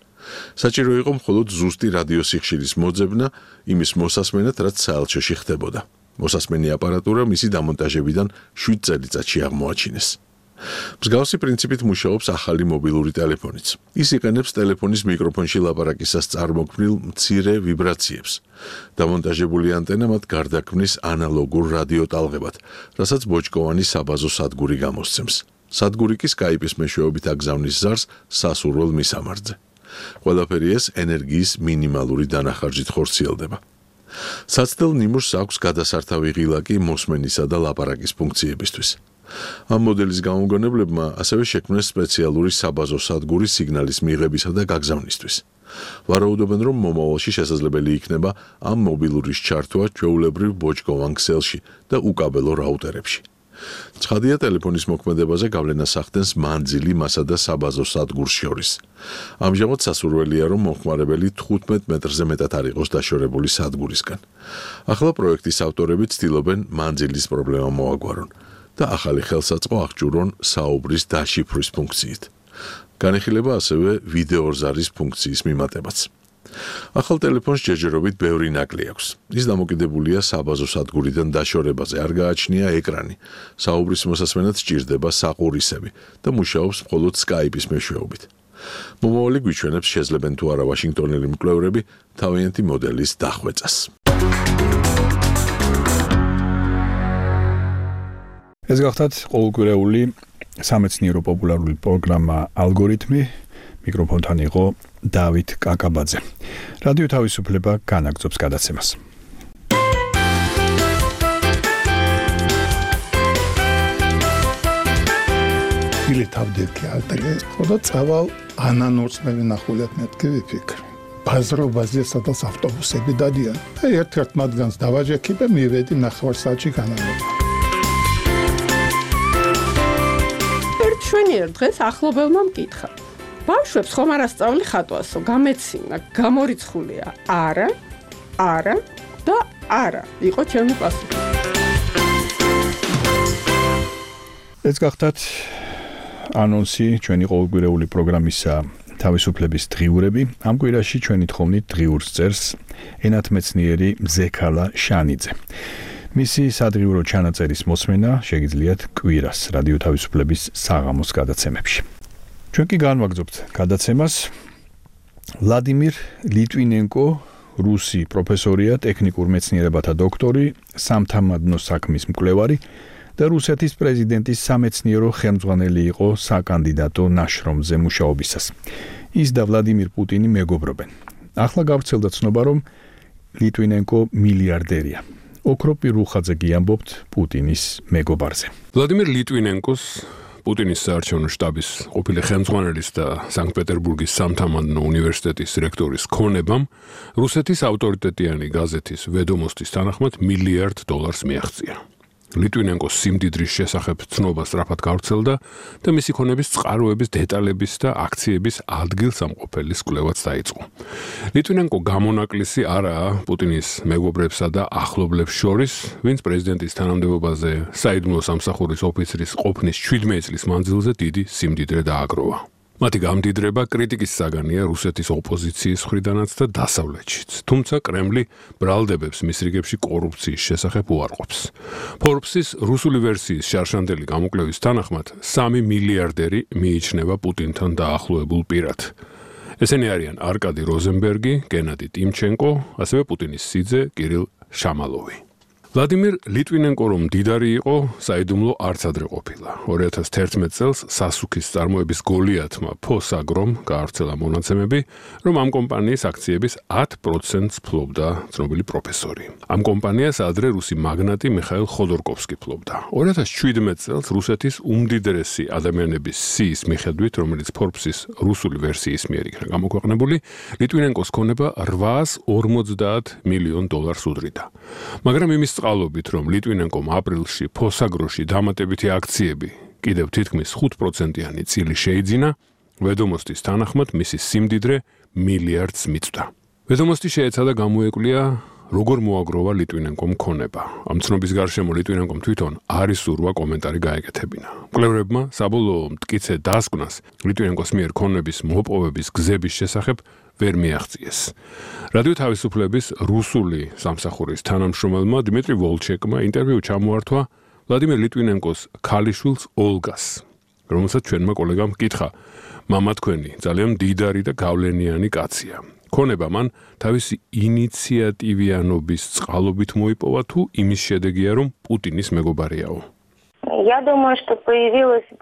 საჭირო იყო მხოლოდ ზუსტი რადიოსიხშირის მოძებნა იმის მოსასმენად, რაც საელჩოში ხდებოდა. მოსასმენი აპარატურა მისი დამონტაჟებიდან შვიდ წელიწადში აღმოაჩინეს. მსგავსი პრინციპით მუშაობს ახალი მობილური ტელეფონიც. ის იყენებს ტელეფონის მიკროფონში ლაპარაკისას წარმოქმნილ მცირე ვიბრაციებს. დამონტაჟებული ანტენა მათ გარდაქმნის ანალოგურ რადიოტალღებად, რასაც ბოჭკოვანი საბაზო სადგური გამოსცემს. სადგური კი სკაიპის მეშვეობით აგზავნის ზარს სასურველ მისამართზე. ყველაფერი ეს ენერგიის მინიმალური დანახარჯით ხორციელდება. საცდელ ნიმუშს აქვს გადასართავი ღილაკი მოსმენისა და ლაპარაკის ფუნქციებისთვის. ამ მოდელის გამომგონებლებმა ასევე შექმნეს სპეციალური საბაზო სადგური სიგნალის მიღებისა და გაგზავნისთვის. ვარაუდობენ, რომ მომავალში შესაძლებელი იქნება ამ მობილურის ჩართვა ჩვეულებრივ ბოჭკოვან ქსელში და უკაბელო რაუტერებში. ცხადია, ტელეფონის მოქმედებაზე გავლენას ახდენს მანძილი მასა და საბაზო სადგურს შორის. ამჟამად სასურველია, რომ მომხმარებელი თხუთმეტ მეტრზე მეტად არ იყოს დაშორებული სადგურისგან. ახლა პროექტის ავტორები ცდილობენ მანძილის პრობლემა მოაგვარონ და ახალი ხელსაწყო აღჭურონ საუბრის დაშიფვრის ფუნქციით. განიხილება ასევე ვიდეორზარის ფუნქციის მიმატებაც. ახალ ტელეფონს ჯერჯერობით ბევრი ნაკლი აქვს. ის დამოკიდებულია საბაზო სადგურიდან დაშორებაზე, არ გააჩნია ეკრანი. საუბრის მოსასმენად სჭირდება საყურისები და მუშაობს მხოლოდ სკაიპის მეშვეობით. მომავალი გვიჩვენებს, შეძლებენ თუ არა ვაშინგტონელი მკვლევრები თავიანთი მოდელის დახვეწას. ეს გახდათ ყოველკვირეული სამეცნიერო პოპულარული პროგრამა ალგორითმი. მიკროფონთან იყო დავით კაკაბაძე. რადიო თავისუფლება განაგრძობს გადაცემას. ილეთავდები ალტერე, ხოდა წავალ ანანურს მე ვინახულებ მეთქი ვიფიქრ. ბაზრობაზე სადაც ავტობუსები დადიან. აი ერთ-ერთ მათგანს დავაჯექი და მივედი ნახევარ საათში განავრება. შვენიერ დღეს ახლობელმა მკითხა. ბავშვებს ხომ არ ასწავლი ხატვასო, გამეცინა, გამორიცხულია. არა, არა და არა. იყო ჩემი პასუხი. ეს გახდათ ანონსი ჩვენი ყოველკვირეული პროგრამისა თავისუფლების დღიურები. ამ კვირაში ჩვენი თხოვნით დღიურს წერს ენათმეცნიერი მზექალა შანიძე. მისი სადღიურო ჩანაწერის მოსმენა შეგიძლიათ კვირას რადიო თავისუფლების საღამოს გადაცემებში. ჩვენ კი განვაგრძობთ გადაცემას. ვლადიმირ ლიტვინენკო, რუსი პროფესორია, ტექნიკურ მეცნიერებათა დოქტორი, სამთამადნო საქმის მკვლევარი და რუსეთის პრეზიდენტის სამეცნიერო ხელმძღვანელი იყო საკანდიდატო ნაშრომზე მუშაობისას. ის და ვლადიმირ პუტინი მეგობრობენ. ახლა გავრცელდა ცნობა, რომ ლიტვინენკო მილიარდერია. ოქროპი რუხაძე გიამბობთ პუტინის მეგობარზე. ვლადიმირ ლიტვინენკოს პუტინის საარჩევნო შტაბის ყოფილი ხელმძღვანელის და სანქტ-პეტერბურგის სამთამანდნო უნივერსიტეტის რექტორის ქონებამ რუსეთის ავტორიტეტიანი გაზეთის ვედომოსტის თანახმად მილიარდ დოლარს მიაღწია. ლიტვინენკოს სიმდიდრის შესახებ ცნობა სწრაფად გავრცელდა და მისი ქონების წყაროების დეტალების და აქციების ადგილსამყოფელის კვლევაც დაიწყო. ლიტვინენკო გამონაკლისი არაა პუტინის მეგობრებსა და ახლობლებს შორის, ვინც პრეზიდენტის თანამდებობაზე საიდუმლო სამსახურის ოფიცრის ყოფნის შვიდმეტი წლის მანძილზე დიდი სიმდიდრე დააგროვა. მათი გამდიდრება კრიტიკის საგანია რუსეთის ოპოზიციის მხრიდანაც და დასავლეთშიც. თუმცა კრემლი ბრალდებებს მის რიგებში კორუფციის შესახებ უარყოფს. Forbes-ის რუსული ვერსიის შარშანდელი გამოკვლევის თანახმად სამი მილიარდერი მიიჩნევა პუტინთან დაახლოებულ პირად. ესენი არიან არკადი როზენბერგი, გენადი ტიმჩენკო, ასევე პუტინის სიძე კირილ შამალოვი. ვლადიმირ ლიტვინენკო რომ მდიდარი იყო, საიდუმლო არც ადრე ყოფილა. ორი ათას თერთმეტ წელს სასუქის წარმოების გოლიათმა ფოსაგრომ გაავრცელა მონაცემები, რომ ამ კომპანიის აქციების ათ პროცენტს ფლობდა ცნობილი პროფესორი. ამ კომპანიას ადრე რუსი მაგნატი მიხაილ ხოდორკოვსკი ფლობდა. ორი ათას შვიდმეტ წელს რუსეთის უმდიდრესი ადამიანების სიის მიხედვით, რომელიც Forbes-ის რუსული ვერსიის მიერ იქნა გამოქვეყნებული, ლიტვინენკოს ქონება რვაას ორმოცდაათ მილიონ დოლარს უდრიდა. მაგრამ იმის წყალობით, რომ ლიტვინენკომ აპრილში ფოსაგროში დამატებითი აქციები კიდევ თითქმის ხუთ პროცენტიანი წილი შეიძინა, ვედომოსტის თანახმად მისი სიმდიდრე მილიარდს მიწვდა. ვედომოსტი შეეცადა გამოეკვლია, როგორ მოაგროვა ლიტვინენკომ ქონება. ამ ცნობის გარშემო ლიტვინენკომ თვითონ არ ისურვა კომენტარი გაეკეთებინა. მკვლევრებმა საბოლოო მტკიცე დასკვნას ლიტვინენკოს მიერ ქონების მოპოვების გზების შესახებ ვერ მიაღწიეს. რადიო თავისუფლების რუსული სამსახურის თანამშრომელმა დიმიტრი ვოლჩეკმა ინტერვიუ ჩამოართვა ვლადიმირ ლიტვინენკოს ქალიშვილს ოლგას, რომელსაც ჩვენმა კოლეგამ კითხა: მამა თქვენი ძალიან მდიდარი და გავლენიანი კაცია. ქონება მან თავისი ინიციატივიანობის წყალობით მოიპოვა თუ იმის შედეგია, რომ პუტინის მეგობარიაო?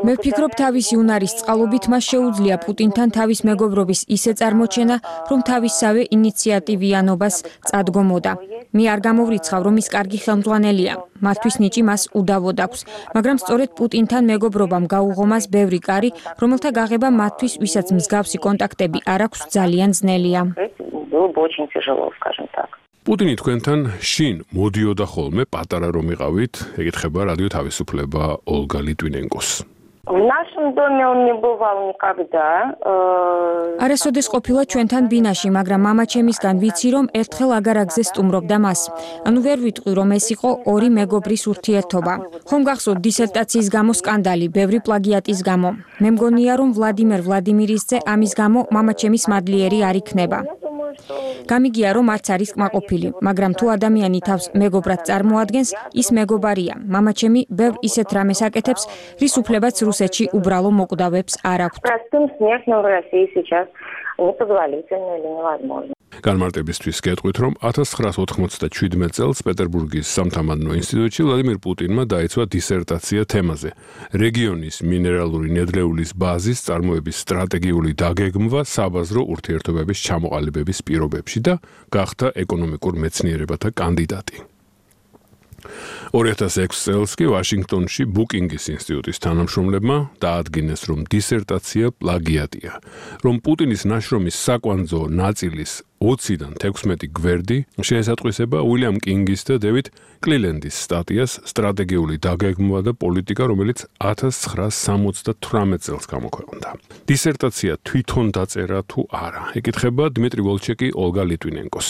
მე ვფიქრობ, თავისი უნარის წყალობით მას შეუძლია პუტინთან თავის მეგობრობის ისე წარმოჩენა, რომ თავისსავე ინიციატივიანობას წადგომოდა. მე არ გამოვრიცხავ, რომ ის კარგი ხელმძღვანელია. მათთვის ნიჭი მას უდავოდ აქვს, მაგრამ სწორედ პუტინთან მეგობრობამ გაუღო მას ბევრი კარი, რომელთა გაღება მათთვის, ვისაც მსგავსი კონტაქტები არ აქვს, ძალიან ძნელია. პუტინი თქვენთან შინ მოდიოდა ხოლმე პატარა რომ იყავით, ეკითხება რადიო თავისუფლება ოლგა ლიტვინენკოს. არასოდეს ყოფილა ჩვენთან ბინაში, მაგრამ მამაჩემისგან ვიცი, რომ ერთხელ აგარაგზე სტუმრობდა მას. ანუ ვერ ვიტყვი, რომ ეს იყო ორი მეგობრის ურთიერთობა. ხომ გახსოვთ დისერტაციის გამო სკანდალი, ბევრი პლაგიატის გამო. მე მგონია, რომ ვლადიმერ ვლადიმირისძე ამის გამო მამაჩემის მადლიერი არ იქნება. გამიგია, რომ არც არის კმაყოფილი, მაგრამ თუ ადამიანი თავს მეგობრად წარმოადგენს, ის მეგობარია. მამაჩემი ბევრ ისეთ რამეს აკეთებს, რის უფლებაც რუსეთში უბრალო მოკვდავებს არ აქვთ. განმარტებისთვის გეტყვით, რომ ათას ცხრაას ოთხმოცდაშვიდმეტ წელს პეტერბურგის სამთამანდნო ინსტიტუტში ვლადიმირ პუტინმა დაიცვა დისერტაცია თემაზე: რეგიონის მინერალური ნედლეულის ბაზის წარმოების სტრატეგიული დაგეგმვა საბაზრო ურთიერთობების ჩამოყალიბების პირობებში და გახდა ეკონომიკურ მეცნიერებათა კანდიდატი. ორი ათას ექვსი წელს კი ვაშინგტონში ბუკინგის ინსტიტუტის თანამშრომლებმა დაადგინეს, რომ დისერტაცია პლაგიატია, რომ პუტინის ნაშრომის საკვანძო ნაწილის ოციდან თექვსმეტი გვერდი შეესატყვისება უილიამ კინგის და დევიდ კლილენდის სტატიას სტრატეგიული დაგეგმვა და პოლიტიკა, რომელიც ათას ცხრაას სამოცდათვრამეტ წელს გამოქვეყნდა. დისერტაცია თვითონ დაწერა თუ არა, ეკითხება დიმიტრი ვოლჩეკი ოლგა ლიტვინენკოს.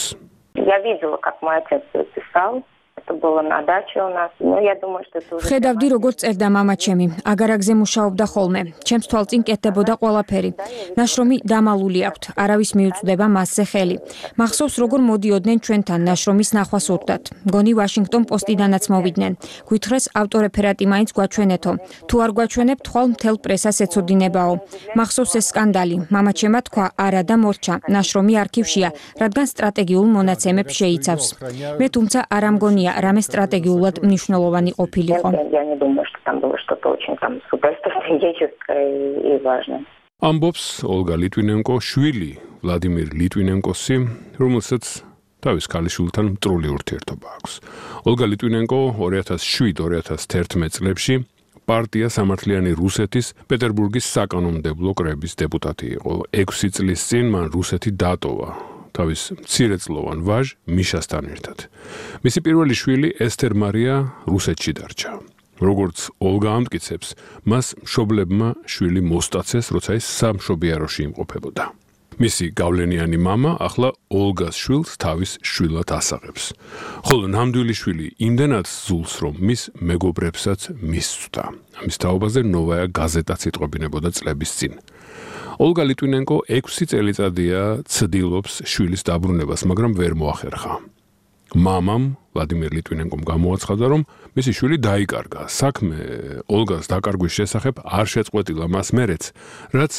ვხედავდი, როგორც წერდა მამაჩემი, აგარაგზე მუშაობდა ხოლმე. ჩემს თვალწინ კეთდებოდა ყველაფერი. ნაშრომი დამალული აქვთ, არავის მიუწვდება მასზე ხელი. მახსოვს, როგორ მოდიოდნენ ჩვენთან ნაშრომის ნახვას ურდათ. მგონი ვაშინგტონ პოსტიდანაც მოვიდნენ. გვითხრეს ავტორეფერატი მაინც გვაჩვენეთო. თუ არ გვაჩვენებ, თვალ მთელ პრესას ეცოდინებაო. მახსოვს ეს სკანდალი. მამაჩემა თქვა, არა და მორჩა. ნაშრომი არქივშია, რადგან სტრატეგიულ მონაცემებს შეიცავს. მე თუმცა არ ამგონია რამე სტრატეგიულად მნიშვნელოვანი ყოფილიყო. ამბობს ოლგა ლიტვინენკო შვილი ვლადიმირ ლიტვინენკოსი, რომელსაც თავის ქალიშვილთან მტრული ურთიერთობა აქვს. ოლგა ლიტვინენკო ორი ათას შვიდ ორი ათას თერთმეტ წლებში პარტია სამართლიანი რუსეთის პეტერბურგის საკანონმდებლო კრების დეპუტატი იყო. ექვსი წლის წინ მან რუსეთი დატოვა თავის მცირეწლოვან ვაჟ მიშასთან ერთად. მისი პირველი შვილი ესთერ მარია რუსეთში დარჩა. როგორც ოლგა ამტკიცებს, მას მშობლებმა შვილი მოსტაცეს, როცა ის სამშობიაროში იმყოფებოდა. მისი გავლენიანი მამა ახლა ოლგას შვილს თავის შვილად ასაღებს. ხოლო ნამდვილი შვილი იმდენად ზულს, რომ მის მეგობრებსაც მისცდა. ამის თაობაზე ნოვაია გაზეტაც იტყობინებოდა წლების წინ. ოლგა ლიტვინენკო ექვსი წელიწადია ცდილობს შვილის დაბრუნებას, მაგრამ ვერ მოახერხა. მამამ ვლადიმირ ლიტვინენკომ გამოაცხადა, რომ მისი შვილი დაიკარგა. საქმე ოლგას დაკარგვის შესახებ არ შეწყვეტილა მას მერეც, რაც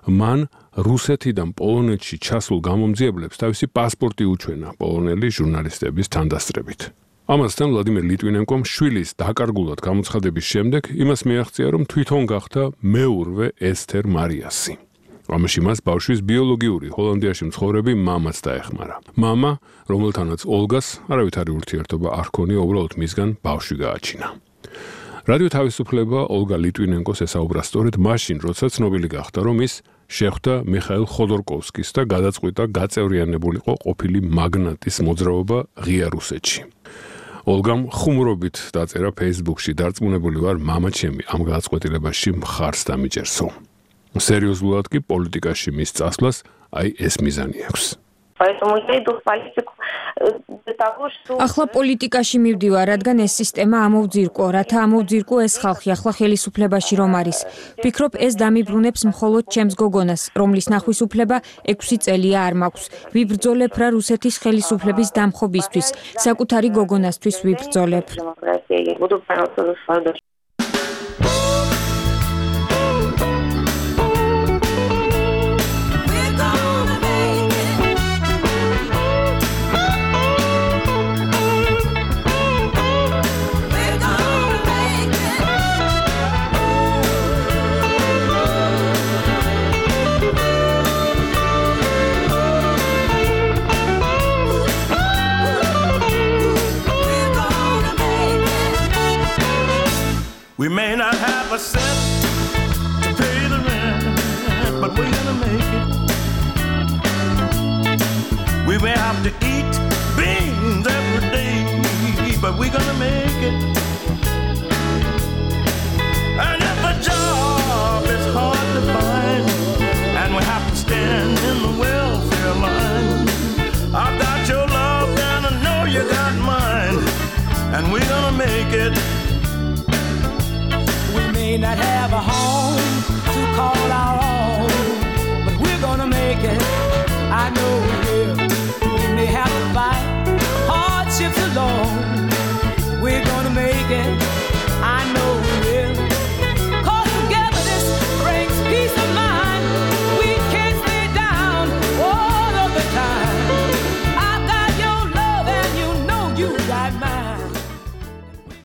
მან რუსეთიდან პოლონეთში ჩასულ გამომძიებლებს თავისი პასპორტი უჩვენა პოლონელი ჟურნალისტების თანდასწრებით. ამასთან ვლადიმირ ლიტვინენკომ შვილის დაკარგულად გამოცხადების შემდეგ იმას მიაღწია, რომ თვითონ გახდა მეურვე ესთერ მარიასი. ამაში მას ბავშვის ბიოლოგიური ჰოლანდიაში მცხოვრები მამაც დაეხმარა. მამა, რომელთანაც ოლგას არავითარი ურთიერთობა არ ჰქონია, უბრალოდ მისგან ბავშვი გააჩინა. რადიო თავისუფლება ოლგა ლიტვინენკოს ესაუბრა სწორედ მაშინ, როცა ცნობილი გახდა, რომ ის შეხვდა მიხაილ ხოდორკოვსკის და გადაწყვიტა გაწევრიანებულიყო ყოფილი მაგნატის მოძრაობა ღია რუსეთში. ოლგამ ხუმრობით დაწერა Facebook-ში, დარწმუნებული ვარ, მამა ჩემი ამ გადაწყვეტილებაში მხარს დამიჯერსო. სერიოზულად კი პოლიტიკაში მის წასვლას აი ეს მიზანი აქვს. ახლა პოლიტიკაში მივდივარ, რადგან ეს სისტემა ამოვძირკო, რათა ამოვძირკო ეს ხალხი ახლა ხელისუფლებაში რომ არის. ვფიქრობ, ეს დამიბრუნებს მხოლოდ ჩემს გოგონას, რომლის ნახვის უფლება ექვსი წელია არ მაქვს. ვიბრძოლებ რა რუსეთის ხელისუფლების დამხობისთვის, საკუთარი გოგონასთვის ვიბრძოლებ. We may not have a cent to pay the rent, but we're gonna make it. We may have to eat beans every day, but we're gonna make it. And if a job is hard to find, and we have to stand in the welfare line, I've got your love and I know you got mine, and we're gonna make it. May not have a home to call our own, but we're gonna make it. I know we will. We may have to fight hardships alone,